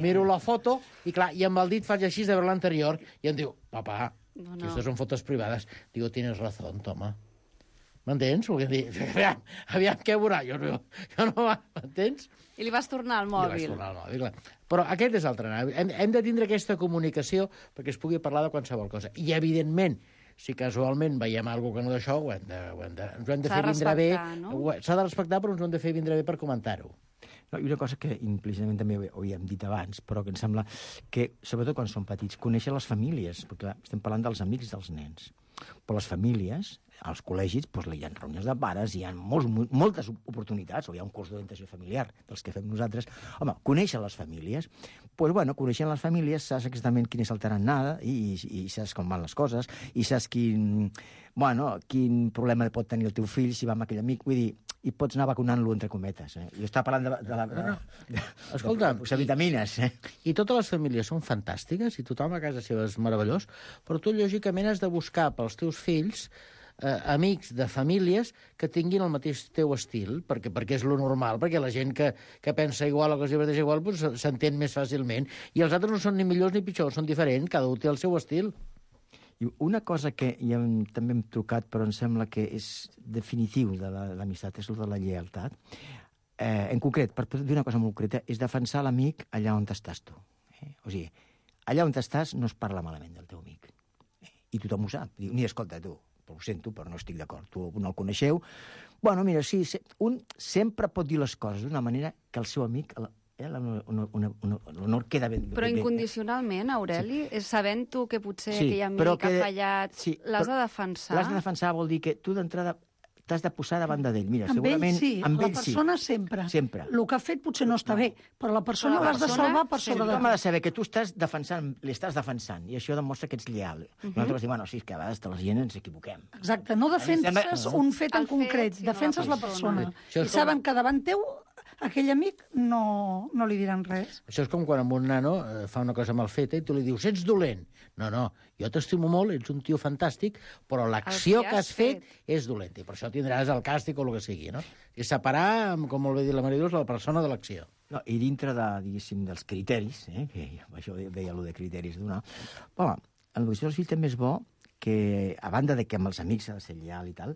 miro la foto i, clar, i amb el dit faig així de veure l'anterior i em diu, papà, no, no. aquestes són fotos privades. Digo, tienes razón, toma. M'entens? Volguem dir, aviam, aviam què veurà, jo no, jo no m'entens? I li vas tornar al mòbil. I li vas tornar al mòbil, clar. Però aquest és el trenat. Hem, hem de tindre aquesta comunicació perquè es pugui parlar de qualsevol cosa. I, evidentment, si casualment veiem alguna cosa que no d'això, ho hem de, ho hem de, ens ho hem de fer vindre bé. No? S'ha de respectar, però ens ho hem de fer vindre bé per comentar-ho. No, i una cosa que implícitament també ho havíem dit abans, però que em sembla que, sobretot quan són petits, conèixer les famílies, perquè clar, estem parlant dels amics dels nens. Però les famílies, als col·legis, doncs, hi ha reunions de pares, hi ha molts, moltes oportunitats, o hi ha un curs d'orientació familiar dels que fem nosaltres. Home, conèixer les famílies, doncs, bueno, coneixent les famílies saps exactament quin és el tarannà i, i, i saps com van les coses, i saps quin, bueno, quin problema pot tenir el teu fill si va amb aquell amic, vull dir, i pots anar vacunant-lo entre cometes. Eh? Jo estava parlant de, de, de, de, de, de, Escolta, de, de vitamines. Eh? I totes les famílies són fantàstiques i tothom a casa seva és meravellós, però tu, lògicament, has de buscar pels teus fills eh, amics de famílies que tinguin el mateix teu estil, perquè, perquè és lo normal, perquè la gent que, que pensa igual o que es diverteix igual pues, s'entén més fàcilment. I els altres no són ni millors ni pitjors, són diferents, cada un té el seu estil. I una cosa que ja hem, també hem trucat, però em sembla que és definitiu de l'amistat, és el de la lleialtat. Eh, en concret, per dir una cosa molt concreta, és defensar l'amic allà on estàs tu. Eh? O sigui, allà on estàs no es parla malament del teu amic. Eh? I tothom ho sap. Diu, ni escolta, tu, ho sento, però no estic d'acord. Tu no el coneixeu. Bueno, mira, sí, un sempre pot dir les coses d'una manera que el seu amic... Eh, l'honor queda ben... Però incondicionalment, Aureli, sí. sabent tu que potser sí, aquell amic que, ha fallat, sí, l'has de defensar. L'has de defensar vol dir que tu d'entrada t'has de posar davant d'ell. Mira, amb segurament... Ell sí, amb la ell persona sí. sempre. sempre. El que ha fet potser no està bé, però la persona l'has de salvar per sobre de... Tothom ha de saber que tu estàs defensant, l'estàs defensant, i això demostra que ets lleal. Uh -huh. Nosaltres diem, bueno, sí, que a vegades de la gent ens equivoquem. Exacte, no defenses un fet en concret, defenses la persona. I saben que davant teu aquell amic no, no li diran res. Això és com quan un nano eh, fa una cosa mal feta i tu li dius, ets dolent. No, no, jo t'estimo molt, ets un tio fantàstic, però l'acció que has fet, fet és dolenta. I per això tindràs el càstig o el que sigui, no? I separar, com molt bé dit la Mariluz, la persona de l'acció. No, i dintre de, diguéssim, dels criteris, eh, que això deia allò de criteris d'una... Home, en l'educació dels fills també és bo que, a banda de que amb els amics s'ha de ser lleal i tal,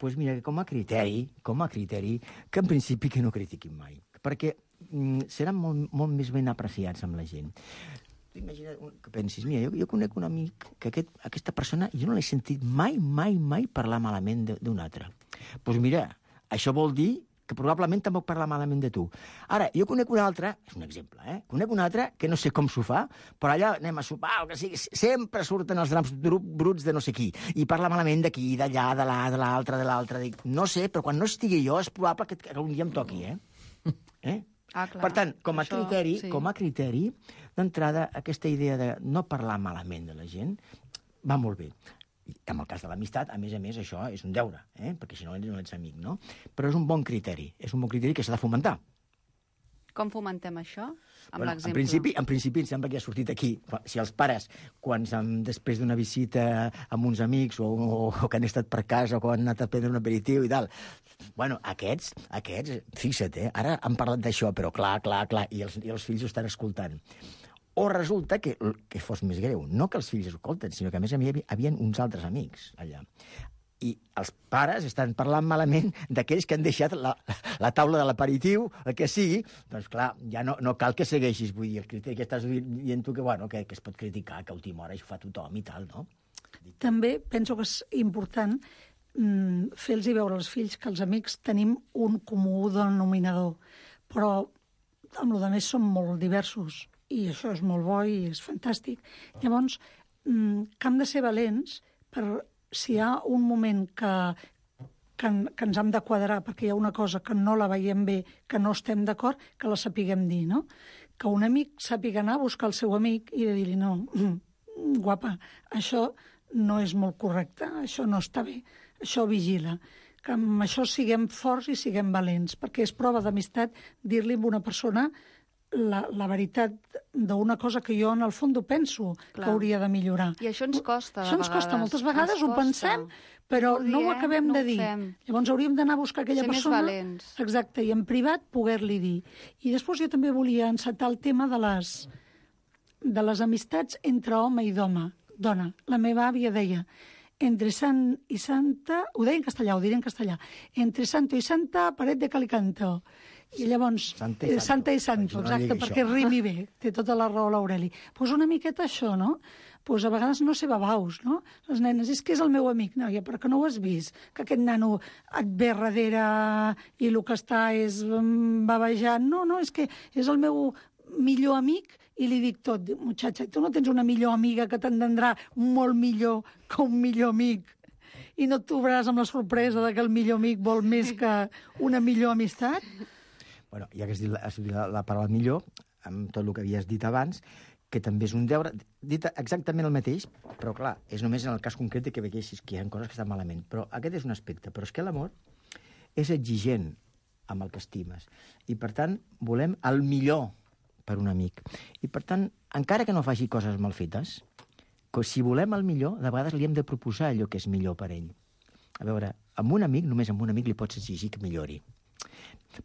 doncs mira, com a criteri, com a criteri, que en principi que no critiquin mai, perquè mm, seran molt, molt més ben apreciats amb la gent. Tu imagina't que pensis, mira, jo, jo conec un amic que aquest, aquesta persona jo no l'he sentit mai, mai, mai parlar malament d'un altre. Doncs mira, això vol dir que probablement tampoc parla malament de tu. Ara, jo conec un altre, és un exemple, eh? Conec un altre que no sé com s'ho fa, però allà anem a sopar, o que sigui, sempre surten els drams bruts de no sé qui, i parla malament d'aquí, d'allà, de l'à, de l'altre, de l'altre. Dic, no sé, però quan no estigui jo és probable que, que un dia em toqui, eh? eh? Ah, clar. Per tant, com a Això, criteri, sí. com a criteri, d'entrada, aquesta idea de no parlar malament de la gent va molt bé. I en el cas de l'amistat, a més a més, això és un deure, eh? Perquè si no, no ets amic, no? Però és un bon criteri, és un bon criteri que s'ha de fomentar. Com fomentem això? Amb Bueno, en, l'exemple. principi, en principi, em sembla que ha sortit aquí. Si els pares, quan després d'una visita amb uns amics o, o, o que han estat per casa o que han anat a prendre un aperitiu i tal, bueno, aquests, aquests, fixa't, eh? Ara han parlat d'això, però clar, clar, clar, i els, i els fills ho estan escoltant. O resulta que, que fos més greu, no que els fills ho escolten, sinó que a més a més hi havia uns altres amics allà. I els pares estan parlant malament d'aquells que han deixat la, la taula de l'aperitiu, el que sigui, doncs clar, ja no, no cal que segueixis, vull dir, el criteri que estàs dient tu que, bueno, que, que es pot criticar, que a última hora això fa tothom i tal, no? També penso que és important mm, fer-los veure als fills que els amics tenim un comú denominador, però amb el més som molt diversos, i això és molt bo i és fantàstic. Llavors, mm, que hem de ser valents per si hi ha un moment que, que, que ens hem de quadrar perquè hi ha una cosa que no la veiem bé, que no estem d'acord, que la sapiguem dir, no? Que un amic sàpiga anar a buscar el seu amic i de dir-li, no, guapa, això no és molt correcte, això no està bé, això vigila. Que amb això siguem forts i siguem valents, perquè és prova d'amistat dir-li a una persona la, la veritat d'una cosa que jo en el fons penso Clar. que hauria de millorar. I això ens costa, de Això ens vegades. costa, moltes vegades Ens ho costa. pensem, però ho no ho diem, acabem no de ho dir. fem. Llavors hauríem d'anar a buscar aquella Ser més persona... valents. Exacte, i en privat poder-li dir. I després jo també volia encetar el tema de les, de les amistats entre home i dona. dona. La meva àvia deia, entre sant i santa... Ho deia en castellà, ho diré en castellà. Entre santo i santa, paret de calicanto. I llavors, Santa i eh, Santa i Santo, No exacte, digui perquè això. rimi bé, té tota la raó l'Aureli. Doncs pues una miqueta això, no? Pues a vegades no sé babaus, no? Les nenes, és que és el meu amic. No, ja, però que no ho has vist? Que aquest nano et ve darrere i el que està és mm, babejant. No, no, és que és el meu millor amic i li dic tot. Dic, muchacha, tu no tens una millor amiga que t'entendrà molt millor que un millor amic i no et trobaràs amb la sorpresa de que el millor amic vol més que una millor amistat? Bueno, ja que has dit la, has dit la, la paraula millor, amb tot el que havies dit abans, que també és un deure, dit exactament el mateix, però clar, és només en el cas concret de que veiessis que hi ha coses que estan malament. Però aquest és un aspecte. Però és que l'amor és exigent amb el que estimes. I, per tant, volem el millor per un amic. I, per tant, encara que no faci coses mal fetes, si volem el millor, de vegades li hem de proposar allò que és millor per ell. A veure, amb un amic, només amb un amic li pots exigir que millori.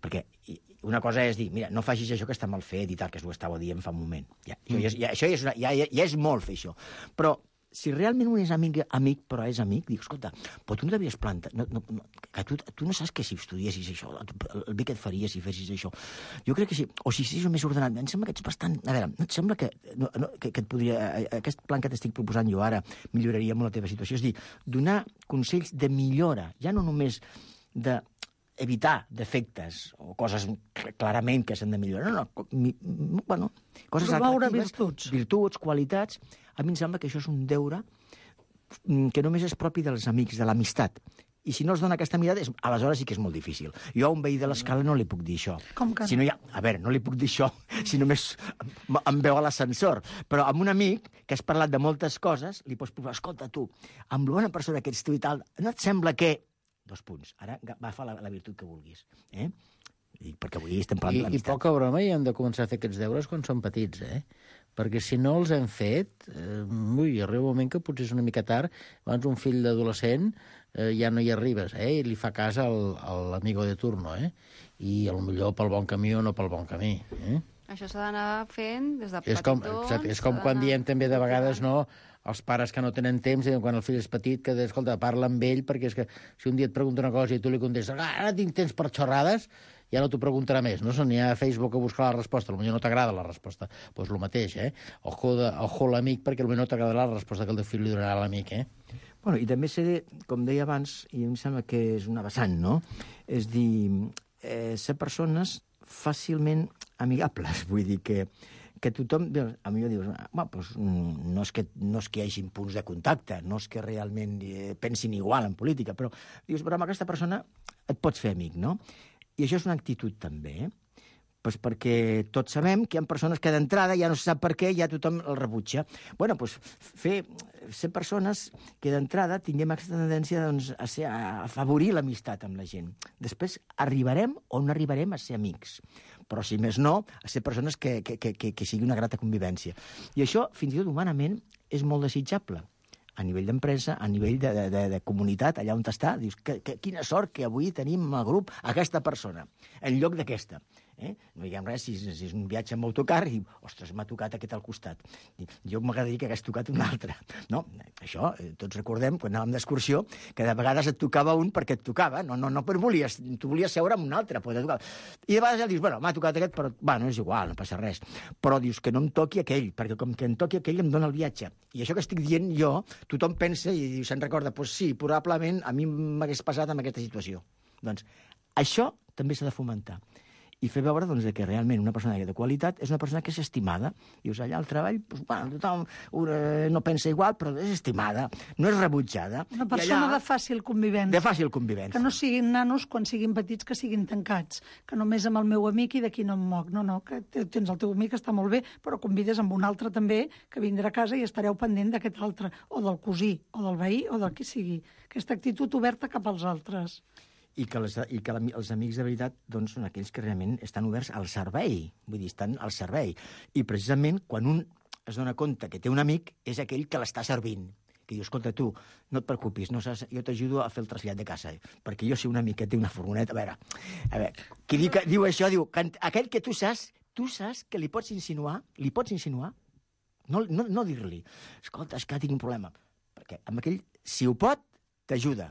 Perquè una cosa és dir, mira, no facis això que està mal fet i tal, que ho estava dient fa un moment. Ja, això, ja, ja, això ja, és una, ja, ja, ja és molt fer això. Però si realment un és amic, amic però és amic, dic, escolta, però tu no t'havies plantat... No, no, no, que tu, tu no saps que si estudiessis això, el bé que et faria si fessis això. Jo crec que sí. O si estiguis més ordenat. Em sembla que ets bastant... A veure, no et sembla que, no, no, que, que et podria... Aquest plan que t'estic proposant jo ara milloraria molt la teva situació. És dir, donar consells de millora, ja no només de evitar defectes o coses clarament que s'han de millorar. No, no, mi, bueno, coses promoure atractives, virtuts. virtuts, qualitats. A mi em sembla que això és un deure que només és propi dels amics, de l'amistat. I si no els dona aquesta mirada, és, aleshores sí que és molt difícil. Jo a un veí de l'escala no li puc dir això. Com que no? Si no hi ha, a veure, no li puc dir això si només em veu a l'ascensor. Però amb un amic que has parlat de moltes coses, li pots provar, escolta, tu, amb la bona persona que ets tu i tal, no et sembla que... Dos punts. Ara agafa la, la virtut que vulguis. Eh? I perquè avui estem parlant I, de I l'amistat. poca broma, i hem de començar a fer aquests deures quan som petits, eh? Perquè si no els hem fet, eh, ui, arriba un moment que potser és una mica tard, abans un fill d'adolescent eh, ja no hi arribes, eh? I li fa cas al, a l'amigo de turno, eh? I potser pel bon camí o no pel bon camí, eh? Això s'ha d'anar fent des de És com, petitons. exacte, és com quan diem també de vegades, no, els pares que no tenen temps, i quan el fill és petit, que, escolta, parla amb ell, perquè és que si un dia et pregunta una cosa i tu li contestes, ah, ara tinc temps per xorrades, ja no t'ho preguntarà més, no? Se n'hi ha a Facebook a buscar la resposta, potser no t'agrada la resposta. Doncs pues el mateix, eh? Ojo, de, ojo l'amic, perquè potser no t'agradarà la resposta que el teu fill li donarà a l'amic, eh? Bueno, i també sé, com deia abans, i em sembla que és una vessant, no? És dir, eh, ser persones fàcilment amigables. Vull dir que, que tothom... A mi dius, bueno, doncs, no, és que, no és que hi hagi punts de contacte, no és que realment eh, pensin igual en política, però dius, però amb aquesta persona et pots fer amic, no? I això és una actitud també, eh? Pues perquè tots sabem que hi ha persones que d'entrada ja no se sap per què, ja tothom el rebutja. Bueno, doncs fer, ser persones que d'entrada tinguem aquesta tendència doncs, a, ser, a afavorir l'amistat amb la gent. Després arribarem o no arribarem a ser amics. Però, si més no, a ser persones que, que, que, que sigui una grata convivència. I això, fins i tot humanament, és molt desitjable. A nivell d'empresa, a nivell de, de, de comunitat, allà on està, dius, que, que, quina sort que avui tenim al grup aquesta persona, en lloc d'aquesta. Eh? No diguem res, si, si és un viatge amb autocar, i, ostres, m'ha tocat aquest al costat. Jo m'agradaria que hagués tocat un altre. No, això, eh, tots recordem, quan anàvem d'excursió, que de vegades et tocava un perquè et tocava, no, no, no per volies, tu volies seure amb un altre, però tocava. I de vegades ja dius, bueno, m'ha tocat aquest, però, bueno, és igual, no passa res. Però dius que no em toqui aquell, perquè com que em toqui aquell em dona el viatge. I això que estic dient jo, tothom pensa i se'n recorda, doncs sí, probablement a mi m'hagués passat en aquesta situació. Doncs això també s'ha de fomentar. I fer veure doncs, que realment una persona de qualitat és una persona que és estimada. Dius, allà al treball, doncs, bueno, tothom uh, no pensa igual, però és estimada, no és rebutjada. Una persona allà, de fàcil convivència. De fàcil convivència. Que no siguin nanos quan siguin petits, que siguin tancats. Que només amb el meu amic i d'aquí no em moc. No, no, que tens el teu amic, està molt bé, però convides amb un altre també, que vindrà a casa i estareu pendent d'aquest altre, o del cosí, o del veí, o del qui sigui. Aquesta actitud oberta cap als altres. I que, les, i que la, els amics de veritat doncs, són aquells que realment estan oberts al servei. Vull dir, estan al servei. I precisament quan un es dona compte que té un amic és aquell que l'està servint. Que diu, escolta, tu, no et preocupis, no saps, jo t'ajudo a fer el trasllat de casa, perquè jo sé un amic que té una furgoneta. A veure, a veure qui diu, que, diu això, diu, que aquell que tu saps, tu saps que li pots insinuar, li pots insinuar, no, no, no dir-li, escolta, és que tinc un problema. Perquè amb aquell, si ho pot, t'ajuda.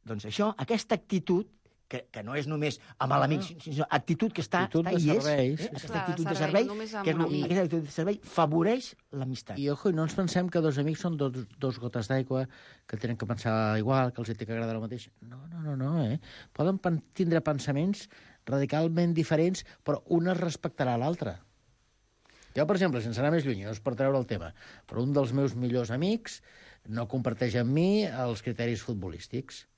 Doncs això, aquesta actitud, que, que no és només amb l'amic, sinó actitud que està, actitud està i és, serveis, eh? sí. Aquesta Clar, actitud de servei, servei, que és, aquesta actitud de servei favoreix l'amistat. I, ojo, i no ens pensem que dos amics són dos, dos gotes d'aigua, que tenen que pensar igual, que els té que agradar el mateix. No, no, no, no, eh? Poden pen tindre pensaments radicalment diferents, però un es respectarà l'altre. Jo, per exemple, sense anar més lluny, no és per treure el tema, però un dels meus millors amics no comparteix amb mi els criteris futbolístics.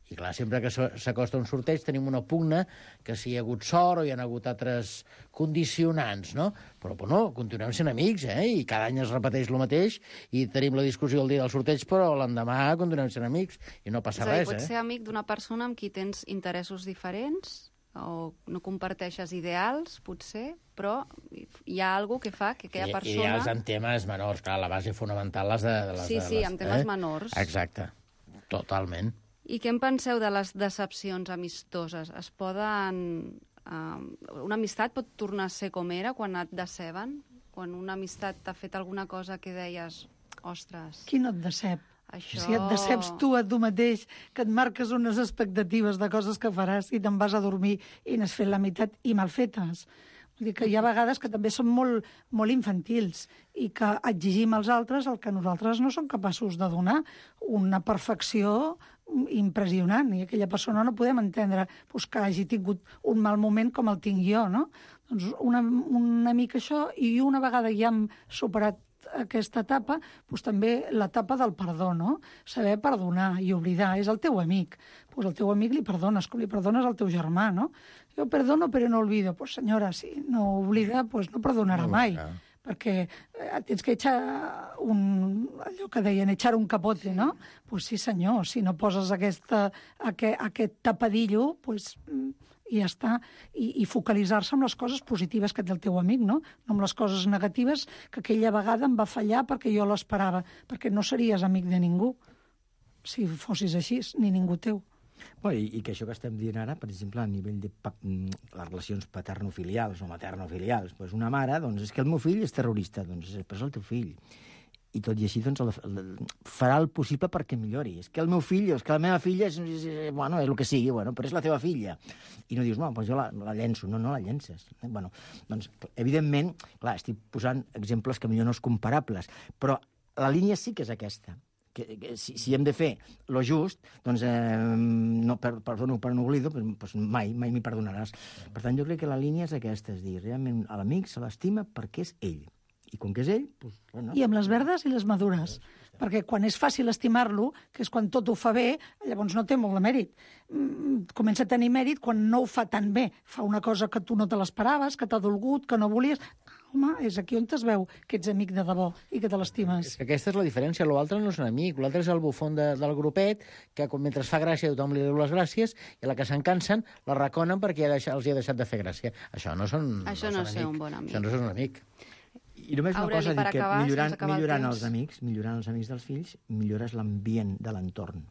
I clar, sempre que s'acosta un sorteig tenim una pugna que si hi ha hagut sort o hi ha hagut altres condicionants, no? Però, però no, continuem sent amics, eh? I cada any es repeteix el mateix i tenim la discussió el dia del sorteig, però l'endemà continuem sent amics i no passa res, eh? Pots ser amic d'una persona amb qui tens interessos diferents o no comparteixes ideals, potser, però hi ha alguna que fa que aquella persona... Ideals en temes menors, clar, la base fonamental les de... de les, sí, de sí, les, en temes eh? menors. Exacte, totalment. I què en penseu de les decepcions amistoses? Es poden... Uh, una amistat pot tornar a ser com era quan et deceben? Quan una amistat t'ha fet alguna cosa que deies, ostres... Qui no et decep? Això... Si et deceps tu a tu mateix, que et marques unes expectatives de coses que faràs i te'n vas a dormir i n'has fet la meitat i mal fetes. Vull dir que hi ha vegades que també som molt, molt infantils i que exigim als altres el que nosaltres no som capaços de donar, una perfecció impressionant, i aquella persona no podem entendre pues, que hagi tingut un mal moment com el tinc jo, no? Doncs una, una mica això, i una vegada ja hem superat aquesta etapa, doncs també l'etapa del perdó, no? Saber perdonar i oblidar. És el teu amic. Doncs el teu amic li perdones, com li perdones al teu germà, no? Jo perdono però no olvido. Doncs senyora, si no oblida, doncs no perdonarà mai. Perquè tens que echar un... allò que deien, echar un capote, no? Doncs sí, senyor, si no poses aquesta, aquest, aquest tapadillo, doncs... i ja està, i, i focalitzar-se en les coses positives que té el teu amic, no? No amb les coses negatives que aquella vegada em va fallar perquè jo l'esperava, perquè no series amic de ningú si fossis així, ni ningú teu. Bueno, i, I que això que estem dient ara, per exemple, a nivell de pa les relacions paternofilials o maternofilials, doncs una mare, doncs és que el meu fill és terrorista, doncs és el teu fill. I tot i així doncs, el, el, farà el possible perquè millori. És que el meu fill, és que la meva filla és, és, és, bueno, és el que sigui, bueno, però és la teva filla. I no dius, no, doncs jo la, la llenço. No, no la llences. Eh? Bueno, doncs, evidentment, clar, estic posant exemples que millor no és comparables, però la línia sí que és aquesta, que, que si, si hem de fer lo just, doncs, eh, no, per, perdono per un oblido, doncs mai, mai m'hi perdonaràs. Per tant, jo crec que la línia és aquesta, és dir, realment a l'amic se l'estima perquè és ell. I com que és ell... Doncs, bueno. I amb les verdes i les madures. Perquè quan és fàcil estimar-lo, que és quan tot ho fa bé, llavors no té molt de mèrit. Comença a tenir mèrit quan no ho fa tan bé. Fa una cosa que tu no te l'esperaves, que t'ha dolgut, que no volies... Home, és aquí on es veu que ets amic de debò i que te l'estimes. Aquesta és la diferència. L'altre no és un amic, l'altre és el bufón de, del grupet, que mentre fa gràcia tothom li diu les gràcies, i a la que se'n cansen la reconen perquè ha deixat, els hi ha deixat de fer gràcia. Això no són Això no, no és un bon amic. Això no és un amic. I només una Aureli, cosa, dic que acabar, millorant, el millorant els amics, millorant els amics dels fills, millores l'ambient de l'entorn.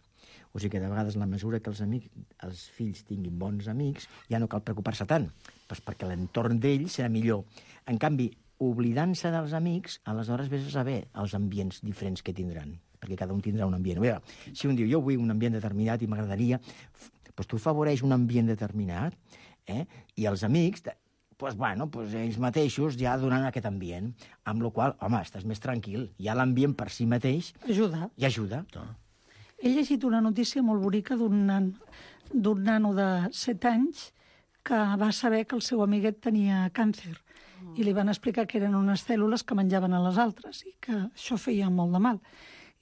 O sigui que de vegades, la mesura que els, amics, els fills tinguin bons amics, ja no cal preocupar-se tant, doncs perquè l'entorn d'ells serà millor. En canvi, oblidant-se dels amics, aleshores vés a saber els ambients diferents que tindran, perquè cada un tindrà un ambient. Veure, si un diu, jo vull un ambient determinat i m'agradaria, doncs tu afavoreix un ambient determinat, eh? I els amics, doncs, bueno, doncs ells mateixos ja donen aquest ambient, amb la qual, home, estàs més tranquil, ja l'ambient per si mateix... Ajuda. I ajuda. He llegit una notícia molt bonica d'un nan, d'un nano de set anys que va saber que el seu amiguet tenia càncer. I li van explicar que eren unes cèl·lules que menjaven a les altres i que això feia molt de mal.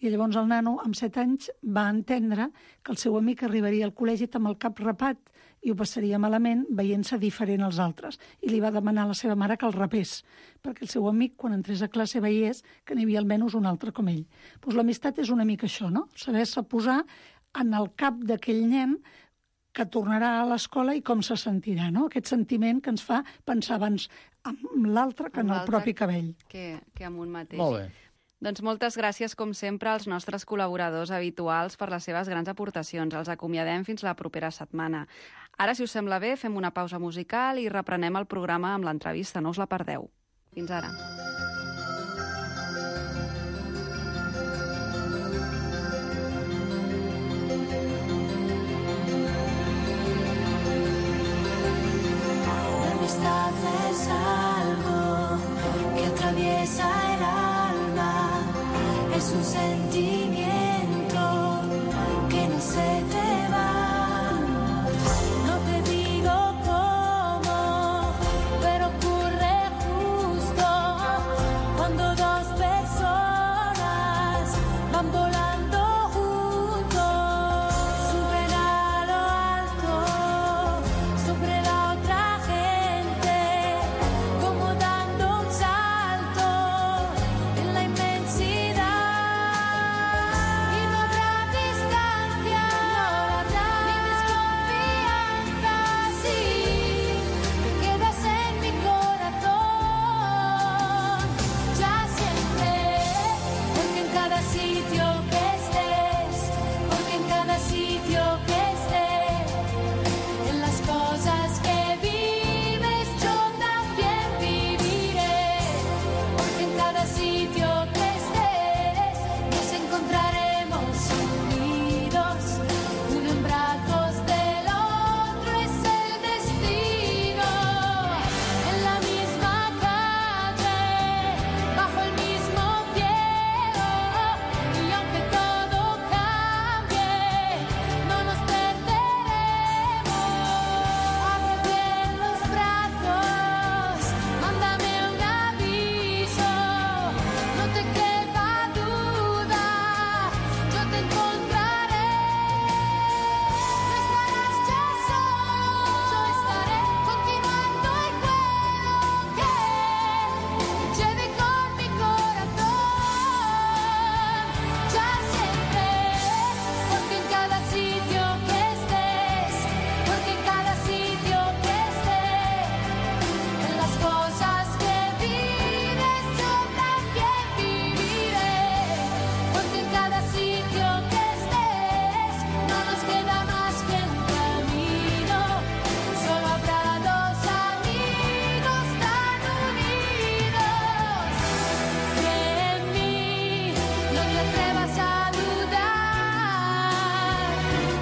I llavors el nano, amb set anys, va entendre que el seu amic arribaria al col·legi amb el cap rapat i ho passaria malament veient-se diferent als altres. I li va demanar a la seva mare que el rapés, perquè el seu amic, quan entrés a classe, veiés que n'hi havia almenys un altre com ell. Pues l'amistat és una mica això, no? Saber-se posar en el cap d'aquell nen que tornarà a l'escola i com se sentirà, no? Aquest sentiment que ens fa pensar abans en l'altre que en el propi cabell. Que, que amb un mateix. Molt bé. Doncs moltes gràcies, com sempre, als nostres col·laboradors habituals per les seves grans aportacions. Els acomiadem fins la propera setmana. Ara, si us sembla bé, fem una pausa musical i reprenem el programa amb l'entrevista. No us la perdeu. Fins ara. Es algo que atraviesa el alma, es un sentimiento que no se te va. No te digo cómo, pero ocurre justo cuando dos personas van volando juntos, suben a lo alto sobre la otra gente, como dando un salto en la inmensidad. Y no habrá distancia ni desconfianza, si te quedas en mi corazón, ya siempre, porque en cada sitio que estés, porque en cada sitio que estés, en las cosas que vives yo también viviré, porque en cada sitio que estés nos encontraremos unidos, uno en brazos del otro es el destino, en la misma calle, bajo el mismo cielo, y aunque todo cambie, no nos perderemos. Abre bien los brazos, mándame un aviso, no te quepa duda, yo te encontraré. No estarás ya solo, yo estaré continuando y puedo que lleve con mi corazón, ya siempre, porque en cada sitio que estés, porque en cada sitio que estés, en las cosas que vives yo también viviré, porque en cada sitio que estés no nos queda más que un camino, solo habrá dos amigos tan unidos. Cree en mí, no te atrevas a dudar,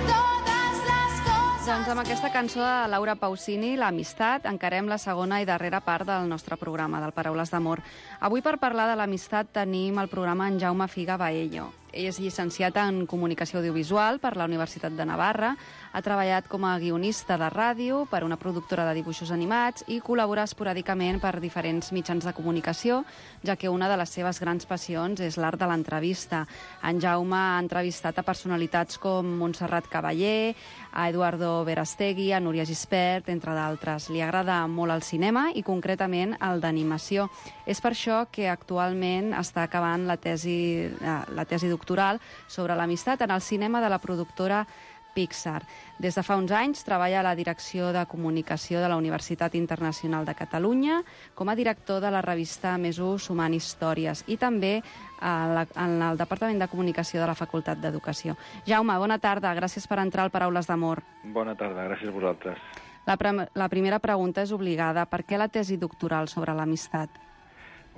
todas las cosas. Doncs amb aquesta cançó de Laura Pausini, l'amistat, encarem la segona i darrera part del nostre programa, del Paraules d'Amor. Avui, per parlar de l'amistat, tenim al programa en Jaume Figa Baello. Ell és llicenciat en Comunicació Audiovisual per la Universitat de Navarra, ha treballat com a guionista de ràdio per una productora de dibuixos animats i col·labora esporàdicament per diferents mitjans de comunicació, ja que una de les seves grans passions és l'art de l'entrevista. En Jaume ha entrevistat a personalitats com Montserrat Caballé, a Eduardo Verastegui, a Núria Gispert, entre d'altres. Li agrada molt el cinema i concretament el d'animació. És per això que actualment està acabant la tesi, la tesi doctoral sobre l'amistat en el cinema de la productora Pixar. Des de fa uns anys treballa a la Direcció de Comunicació de la Universitat Internacional de Catalunya com a director de la revista Més U Sumant Històries i també en el Departament de Comunicació de la Facultat d'Educació. Jaume, bona tarda, gràcies per entrar al Paraules d'Amor. Bona tarda, gràcies a vosaltres. La, pre- la primera pregunta és obligada. Per què la tesi doctoral sobre l'amistat?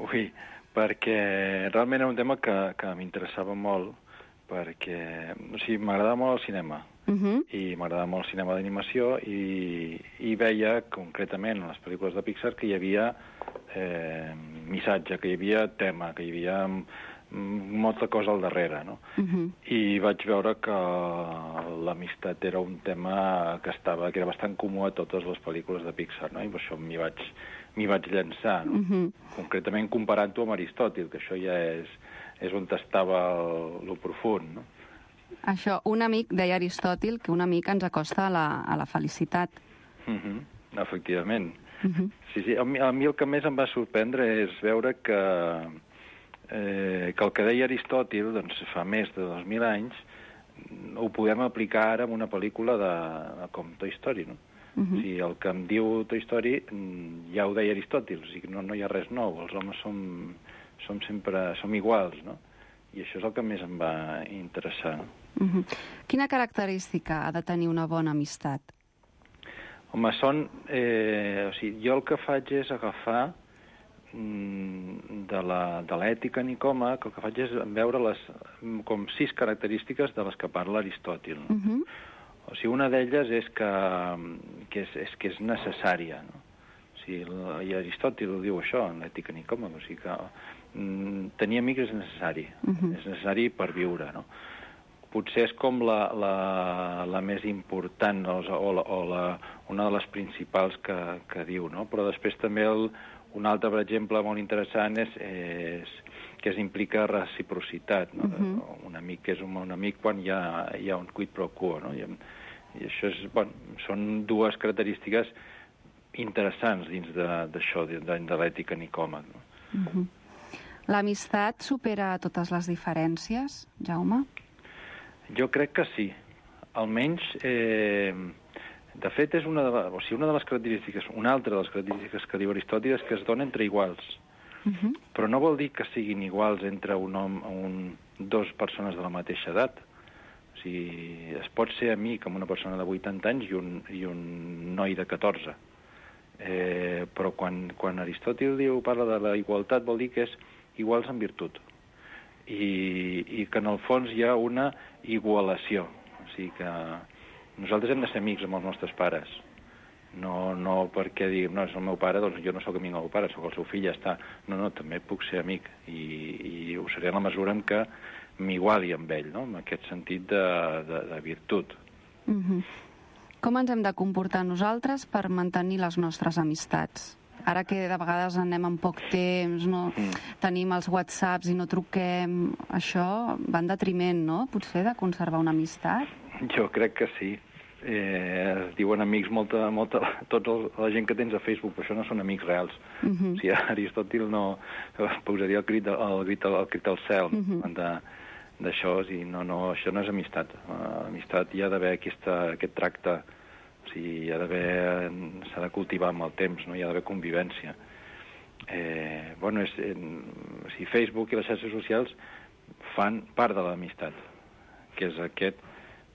Ui, perquè realment era un tema que, que m'interessava molt, perquè o sigui, m'agradava molt el cinema, uh-huh. i m'agradava molt el cinema d'animació, i, i veia concretament en les pel·lícules de Pixar que hi havia eh, missatge, que hi havia tema, que hi havia molta cosa al darrere, no? Uh-huh. I vaig veure que l'amistat era un tema que estava, que era bastant comú a totes les pel·lícules de Pixar, no? I per això m'hi vaig, m'hi vaig llançar, no? Uh-huh. Concretament comparant-ho amb Aristòtil, que això ja és, és on estava el, el profund, no? Això, un amic, deia Aristòtil, que un amic ens acosta a la, a la felicitat. Uh-huh. Efectivament. Uh-huh. Sí, sí, a mi, a mi el que més em va sorprendre és veure que Eh, que el que deia Aristòtil, doncs, fa més de dos mil anys, ho podem aplicar ara en una pel·lícula de, com Toy Story, no? Uh-huh. O sigui, el que em diu Toy Story ja ho deia Aristòtil, o sigui, no, no hi ha res nou, els homes som, som sempre som iguals, no? I això és el que més em va interessar. Uh-huh. Quina característica ha de tenir una bona amistat? Home, són... Eh, o sigui, jo el que faig és agafar de la, de l'ètica Nicoma, que el que faig és veure les, com sis característiques de les que parla Aristòtil. No? Uh-huh. O sigui, una d'elles és que, que, és, és que és necessària. No? O sigui, i Aristòtil ho diu això, en l'ètica Nicoma, o sigui que mm, tenir amics és necessari. Uh-huh. És necessari per viure, no? Potser és com la, la, la més important, o, o, la, o la, una de les principals que, que diu, no? Però després també el un altre, per exemple, molt interessant és, és que es implica reciprocitat. No? Uh-huh. Un amic és un, un amic quan hi ha, hi ha un quid pro quo. No? I, i això és, bueno, són dues característiques interessants dins d'això, de, de, de l'ètica Nicòmac. No? Uh-huh. L'amistat supera totes les diferències, Jaume? Jo crec que sí. Almenys... Eh, De fet, és una de, la, o sigui, una de les característiques, una altra de les característiques que diu Aristòtil és que es dona entre iguals. Uh-huh. Però no vol dir que siguin iguals entre un home, un, dos persones de la mateixa edat. O sigui, es pot ser amic amb una persona de vuitanta anys i un, i un noi de catorze. Eh, però quan, quan Aristòtil diu, parla de la igualtat, vol dir que és iguals en virtut. I, i que en el fons hi ha una igualació. O sigui que... Nosaltres hem de ser amics amb els nostres pares. No, no perquè diguem, no, és el meu pare, doncs jo no sóc amic del meu pare, sóc el seu fill, ja està. No, no, també puc ser amic. I, i ho seré en la mesura en què m'iguali amb ell, no? En aquest sentit de, de, de virtut. Uh-huh. Com ens hem de comportar nosaltres per mantenir les nostres amistats? Ara que de vegades anem amb poc temps, no? Mm. Tenim els whatsapps i no truquem, això va en detriment, no? Potser de conservar una amistat? Jo crec que sí. Eh, es diuen amics molta, molta... Tota la gent que tens a Facebook, però això no són amics reals. Uh-huh. O sigui, Aristòtil no posaria el crit, el crit, el crit al cel uh-huh. d'això, o sigui, no, no, això no és amistat. Uh, amistat hi ha d'haver aquesta, aquest tracte, o sigui, hi ha d'haver... s'ha de cultivar amb el temps, no? Hi ha d'haver convivència. Eh, bueno, és, en, o sigui, Facebook i les xarxes socials fan part de l'amistat, que és aquest...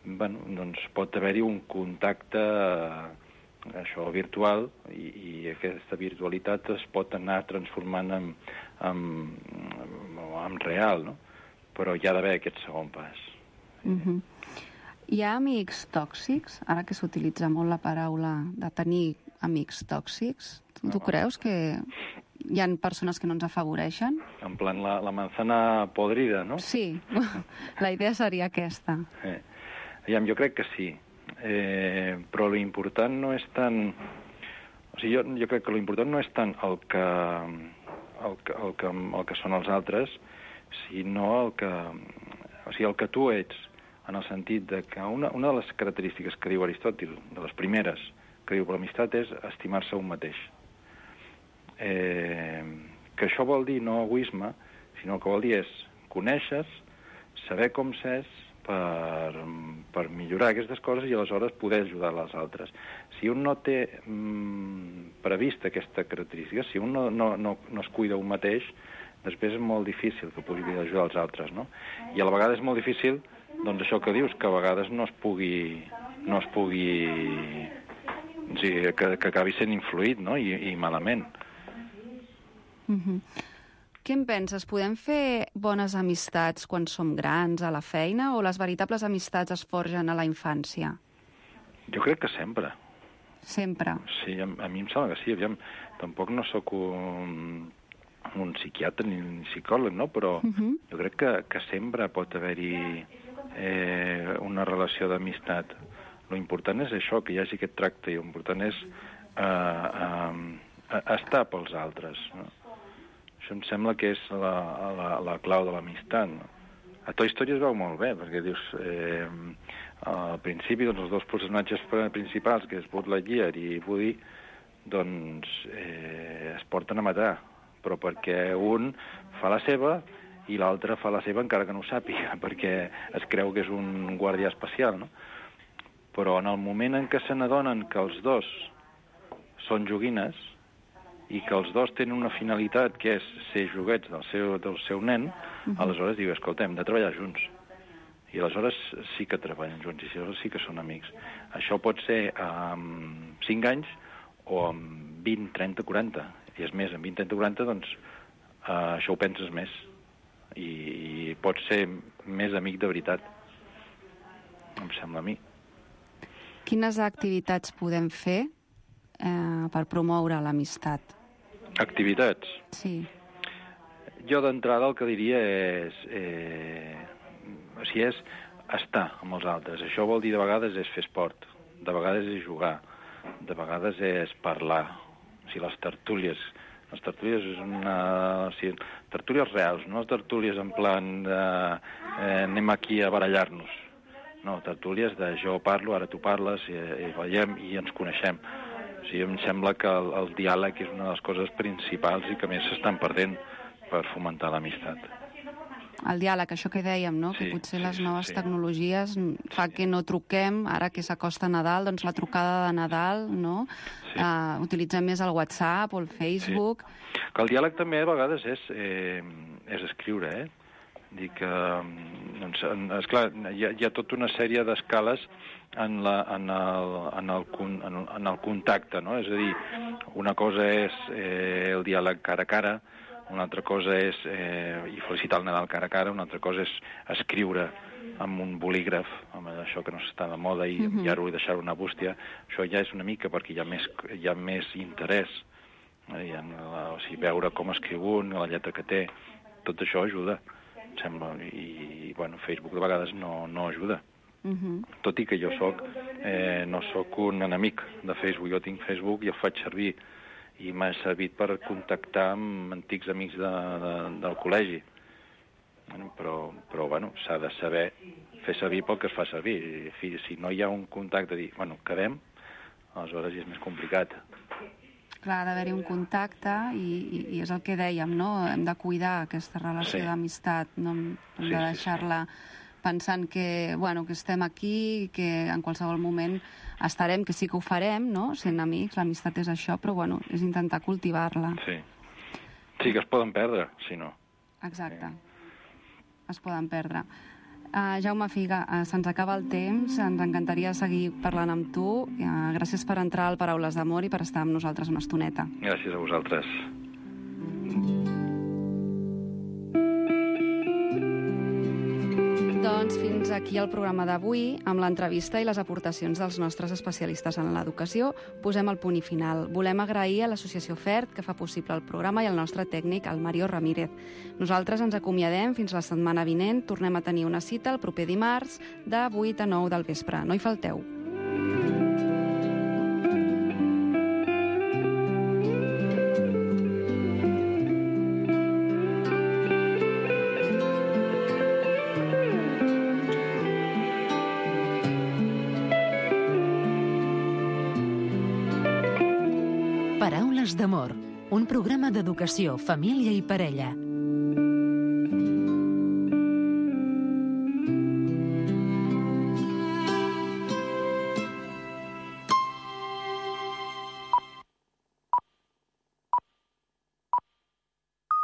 Bueno, doncs pot haver-hi un contacte eh, això virtual i, i aquesta virtualitat es pot anar transformant en, en, en, en real, no? Però hi ha d'haver aquest segon pas. Uh-huh. Hi ha amics tòxics? Ara que s'utilitza molt la paraula de tenir amics tòxics, tu no. creus que hi ha persones que no ens afavoreixen. En plan, la, la manzana podrida, no? Sí, la idea seria aquesta. Eh. Aviam, jo crec que sí. Eh, però l'important no és tant... O sigui, jo, jo crec que l'important no és tant el que, el, que, el, que, el que són els altres, sinó el que, o sigui, el que tu ets, en el sentit de que una, una de les característiques que diu Aristòtil, de les primeres que diu per l'amistat, és estimar-se un mateix. Eh, que això vol dir no egoisme, sinó que vol dir és conèixer, saber com s'és, per, per millorar aquestes coses i aleshores poder ajudar les altres. Si un no té mm, prevista aquesta característica, si un no, no, no, no es cuida un mateix, després és molt difícil que pugui ajudar els altres, no? I a la vegada és molt difícil, doncs això que dius, que a vegades no es pugui... no es pugui... O sigui, que, que acabi sent influït, no? I, i malament. Mhm. Què en penses? Podem fer bones amistats quan som grans, a la feina, o les veritables amistats es forgen a la infància? Jo crec que sempre. Sempre? Sí, a, a mi em sembla que sí. Aviam, tampoc no sóc un, un psiquiatre ni un psicòleg, no? Però uh-huh. jo crec que, que sempre pot haver-hi eh, una relació d'amistat. Lo important és això, que hi hagi aquest tracte, i l'important és eh, eh, estar pels altres, no? Això em sembla que és la, la, la clau de l'amistat, no? A Toy Story es veu molt bé, perquè dius, eh, al principi, doncs, els dos personatges principals, que és Buzz Lightyear i Woody, doncs eh, es porten a matar, però perquè un fa la seva i l'altre fa la seva encara que no ho sàpiga, perquè es creu que és un guàrdia espacial, no? Però en el moment en què se n'adonen que els dos són joguines, i que els dos tenen una finalitat que és ser joguets del seu, del seu nen, uh-huh. aleshores diu, escolta, hem de treballar junts. I aleshores sí que treballen junts, i aleshores sí que són amics. Això pot ser amb cinc anys o amb vint, trenta, quaranta. I és més, amb vint, trenta, quaranta, doncs, uh, això ho penses més. I, i pots ser més amic de veritat. Em sembla a mi. Quines activitats podem fer eh, per promoure l'amistat? Activitats? Sí. Jo d'entrada el que diria és... Eh, o sigui, és estar amb els altres. Això vol dir de vegades és fer esport, de vegades és jugar, de vegades és parlar. O sigui, les tertúlies... Les tertúlies és una... O sigui, tertúlies reals, no tertúlies en plan de... Eh, anem aquí a barallar-nos. No, tertúlies de jo parlo, ara tu parles, i, i veiem i ens coneixem. O sigui, em sembla que el, el diàleg és una de les coses principals i que més s'estan perdent per fomentar l'amistat. El diàleg, això que dèiem, no? Sí, que potser sí, les noves sí. tecnologies fa que no truquem, ara que s'acosta Nadal, doncs la trucada de Nadal, no? Sí. Uh, utilitzem més el WhatsApp o el Facebook. Sí. Que el diàleg també a vegades és, eh, és escriure, eh? Dir que, doncs, esclar, hi ha, hi ha tota una sèrie d'escales en, la, en, el, en, el, en, el, en el contacte, no? És a dir, una cosa és eh, el diàleg cara a cara, una altra cosa és eh, i felicitar el Nadal cara a cara, una altra cosa és escriure amb un bolígraf, amb això que no s'està de moda, i, uh-huh. i ara ho deixar una bústia. Això ja és una mica perquè hi ha més, hi ha més interès, eh, en la, o sigui, veure com escriu un, la lletra que té, tot això ajuda. Sembla, i, bueno, Facebook de vegades no, no ajuda. Uh-huh. Tot i que jo soc, eh, no sóc un enemic de Facebook, jo tinc Facebook i el faig servir, i m'ha servit per contactar amb antics amics de, de, del col·legi. Bueno, però, però bueno, s'ha de saber fer servir pel que es fa servir. I, si no hi ha un contacte, dir, bueno, quedem, aleshores ja és més complicat. Clar, ha d'haver-hi un contacte i, i, i és el que dèiem, no? Hem de cuidar aquesta relació sí. d'amistat, no hem sí, de deixar-la sí, sí. pensant que, bueno, que estem aquí, que en qualsevol moment estarem, que sí que ho farem, no? Sent amics, l'amistat és això, però bueno, és intentar cultivar-la. Sí. Sí, que es poden perdre, si no. Exacte. Es poden perdre. Uh, Jaume Figa, uh, se'ns acaba el temps, ens encantaria seguir parlant amb tu. Uh, gràcies per entrar al Paraules d'Amor i per estar amb nosaltres una estoneta. Gràcies a vosaltres. Doncs fins fins aquí el programa d'avui, amb l'entrevista i les aportacions dels nostres especialistes en l'educació. Posem el punt i final. Volem agrair a l'Associació FERT, que fa possible el programa, i al nostre tècnic, el Mario Ramírez. Nosaltres ens acomiadem fins la setmana vinent. Tornem a tenir una cita el proper dimarts de vuit a nou del vespre. No hi falteu. Paraules d'amor, un programa d'educació, família i parella.